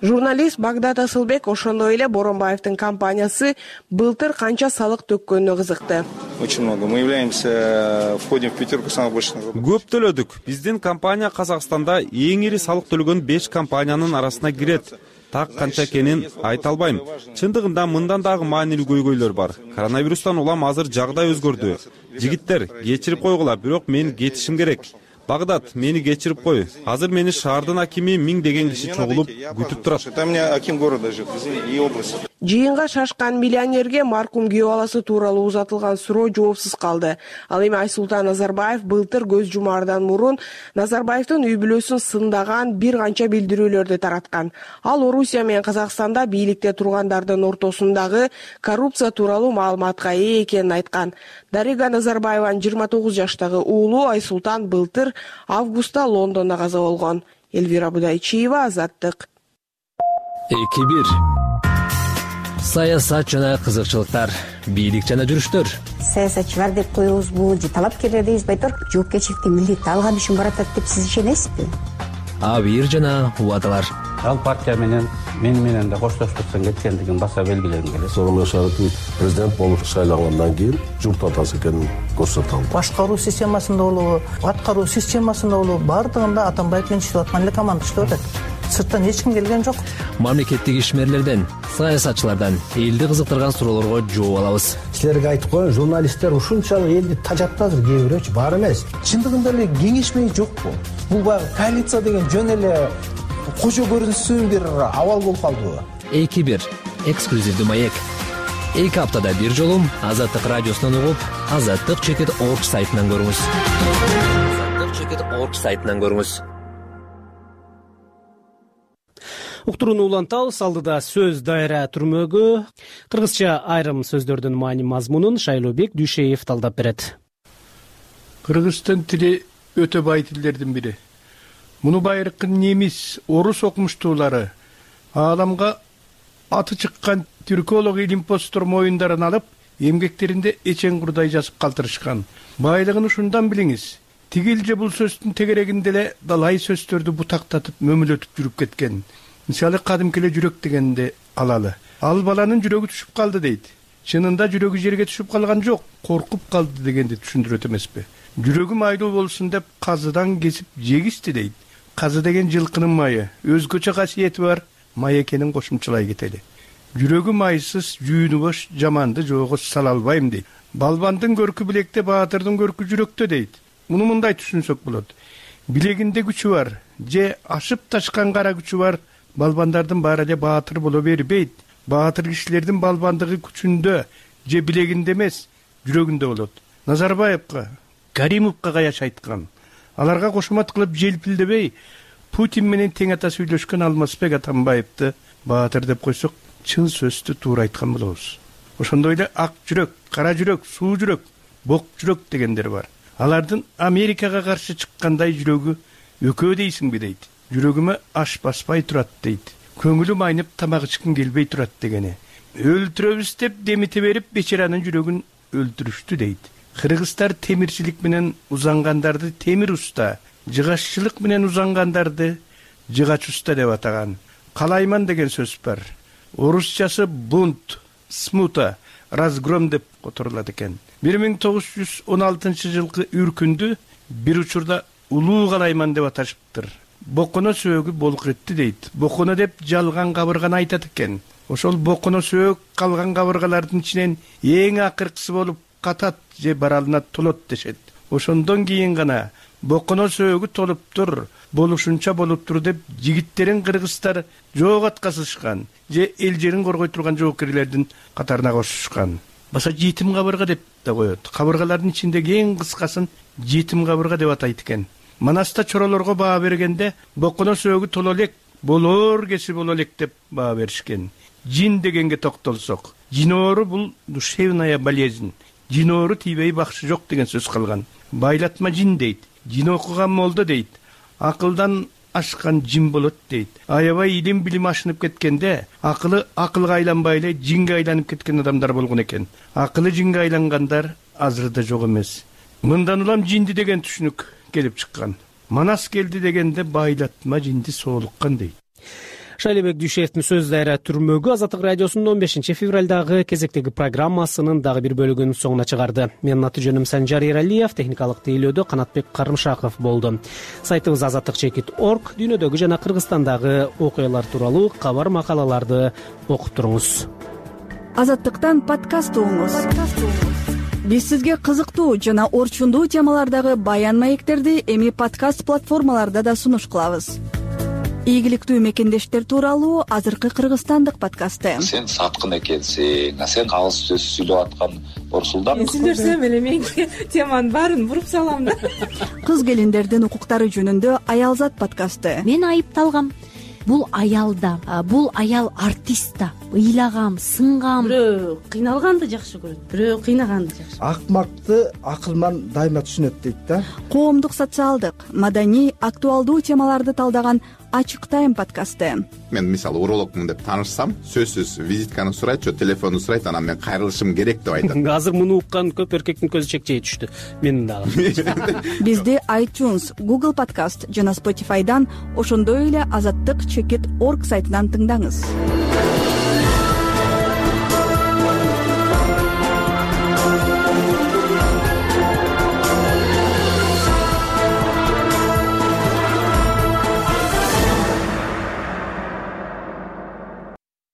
Журналист Багдат Асылбек ошондой эле Боронбаевдин компаниясы былтыр канча салык төккөнүнө кызыкты. Очень много. Мы являемся, входим в пятерку самых больших. Көп төлөдүк. Биздин компания Казакстанда эң ири салык төлөгөн 5 компаниянын арасына кирет. так канча экенин айта албайм. Чындыгында мындан дагы маанилүү көйгөйлөр бар. Коронавирустан улам азыр жагдай өзгөрдү. Жигиттер, кечирип койгула, бирок мен кетишим керек. Багдад, мени кечирип кой. Азыр мени шаардын акими 1000 деген киши чогулуп күтүп турат. Там у меня аким города живет, и области. Жыйынга шашкан миллионерге маркум күйөө баласы тууралуу узатылган суроо жоопсуз калды. Ал эми Айсултан Назарбаев былтыр көз жумаардан мурун Назарбаевдин үй бүлөсүн сындаган бир канча билдирүүлөрдү тараткан. Ал Орусия менен Казакстанда бийликте тургандардын ортосундагы коррупция тууралуу маалыматка ээ экенин айткан. Дарига Назарбаеванын 29 жаштагы уулу Айсултан былтыр августта Лондондо каза болгон. Элвира Будайчиева, Азаттык. 2-1. Саясат жана кызыкчылыктар, бийлик жана жүрүштөр. Саясатчылар деп коебузбу, же талапкерлер дейбиз, айтор жоопкерчиликти милдетти алган үчүн баратат деп сиз ишенесизби? Абийир жана убадалар. Ал партия менен да коштоштуктан кеткендигин баса белгилегим келет. Сооронбай Шарипович президент болуп шайлангандан кийин журт атасы экенин көрсөтө алды. Башкаруу системасында болобу, аткаруу системасында болобу, бардыгында Атамбаев менен иштеп аткан эле команда иштеп атат. Сырттан эч ким келген жок. Мамлекеттик ишмерлерден, саясатчылардан элди кызыктырган суроолорго жооп алабыз. Силерге айтып коеюн, журналисттер ушунчалык элди тажатты азыр, кээ бирөөчү бар эмес. Чындыгында эле кеңешмей жокпу? Бул баягы коалиция деген жөн эле кожо көрүнсүн бир абал болуп калдыбы? 2-1. Эксклюзивдүү маек. 2 аптада бир жолу Азаттык радиосунан угуп, Azattik.org сайтынан көрүңүз. Azattik.org сайтынан көрүңүз. Уктурууну улантабыз. Алдыда сөз дайра түрмөгү. Кыргызча айрым сөздөрдүн маани мазмунун Шайлообек Дүйшеев талдап берет. Кыргыздын тили өтө бай тилдердин бири. Муну байыркы немис, орус окумуштуулары ааламга аты чыккан түрколог илимпоздор моюндарын алып, эмгектеринде эчең курдай жазып калтырышкан. Байлыгын ушундан билиңиз. Тигил же бул сөздүн тегерегинде эле далай сөздөрдү бутактатып, мөмүлөтүп жүрүп кеткен. Мисалы кадимки эле жүрөк дегенди алалы. Ал баланын жүрөгү түшүп калды дейт. Чынында жүрөгү жерге түшүп калган жок, коркуп калды дегенди түшүндүрөт эмеспи? Жүрөгү майлуу болсун деп казыдан кесип жегисти дейт. Казы деген жылкынын майы, өзгөчө касиети бар, май экенин кошумчалай кетели. Жүрөгү майсыз, жүүнү бош, жаманды жоого сала албайм дейт. Балбандын көркү билекте, баатырдын көркү жүрөктө дейт. Муну мындай түшүнсөк болот. Билегинде күчү бар, же ашып ташкан кара күчү бар, балбандардын баары эле баатыр боло бербейт. Баатыр кишилердин балбандыгы күчүндө, же билегинде эмес, жүрөгүндө болот. Назарбаевка, Каримовка каяш айткан. Аларга кошумат кылып желпилдебей, Путин менен тең ата сүйлөшкөн Алмазбек Атамбаевди баатыр деп койсок, чын сөздү туура айткан болобуз. Ошондой эле ак жүрөк, кара жүрөк, суу жүрөк, бок жүрөк дегендер бар. Алардын Америкага каршы чыккандай жүрөгү өкөө дейсиңби дейт. Жүрөгүмө аш баспай турат дейт. Көңүлүм айнып тамак ичким келбей турат дегени. Өлтүрөбүз деп демите берип бечаранын жүрөгүн өлтүрүштү дейт. Кыргыздар темирчилик менен узангандарды темир уста, жыгаччылык менен узангандарды жыгач уста деп атаган. Калайман деген сөз бар. Орусчасы бунт, смута, разгром деп которулат экен. 1916 жылкы үркүндү бир учурда улуу калайман деп аташыптыр. Боконо сөөгү болук этти дейт. Боконо деп жалган кабырганы айтат экен. Ошол боконо сөөгү калган кабыргалардын ичинен эң акыркысы болуп катат же баралына толот дешет. Ошондон кийин гана боконо сөөгү толуптур, болушунча болуптур деп жигиттерин кыргыздар жоок аткасышкан же эл жерин коргой турган жоокерлердин катарына кошушкан. Баса жетим кабырга деп да коет. Кабыргалардын ичиндеги эң кыскасын жетим кабырга деп атайт экен. Манаста чоролорго баа бергенде боконо сөөгү толо элек, болор кеси боло элек деп баа беришкен. Жин дегенге токтолсок, жиноору бул душевная болезнь. Жиноору тийбей бакшы жок деген сөз калган. Байлатма жин дейт. Жин окуган молдо дейт. Акылдан ашкан жин болот дейт. Аябай илим билим ашынып кеткенде, акылы акылга айланбай эле жинге айланып кеткен адамдар болгон экен. Акылы жинге айлангандар азырда жок эмес. Мындан улам жинди деген түшүнүк келип чыккан. Манас келди дегенде байлатма жинди соолуккан дейт. Шайлебек Дүйшеевдин сөз дайра түрмөгү Азаттык радиосунун 15 февралдагы кезектеги программасынын дагы бир бөлүгүнүн соңуна чыгарды. Менин аты жөнүм Санжар Эралиев, техникалык тейлөөдө Канатбек Карымшаков болду. Сайтыбыз azattik.org, дүйнөдөгү жана Кыргызстандагы окуялар тууралуу кабар макалаларды окуп туруңуз. Азаттыктан подкаст угуңуз. Биз сизге кызыктуу жана орчундуу темалардагы баян маектерди эми подкаст платформаларда да сунуш кылабыз. Ийгиликтүү мекендештер тууралуу азыркы кыргызстандык подкасты. Сен саткын экенсиң, сен калыс сөз сүйлөп аткан Орсулдан. Мен сүйлөсөм эле менин теманын баарын буруп салам да. Кыз келиндердин укуктары жөнүндө Аялзат подкасты. Мен айыпталгам. Бул аял да, бул аял артист да. Ыйлагам, сынгам. Бирөө кыйналганды жакшы көрөт, бирөө кыйнаганды жакшы. Акмакты акылман дайыма түшүнөт дейт да. Коомдук, социалдык, маданий, актуалдуу темаларды талдаган Ачык тайм подкасты. Мен мисалы урологмун деп таанышсам, сөзсүз визитканы сурайт, же телефонду сурайт, анан мен кайрылышым керек деп айтат. Азыр муну уккан көп эркектин көзү чекчей түштү. Менин дагы. Бизди iTunes, Google Podcast жана Spotify'дан, ошондой эле azattik.org сайтынан тыңдаңыз.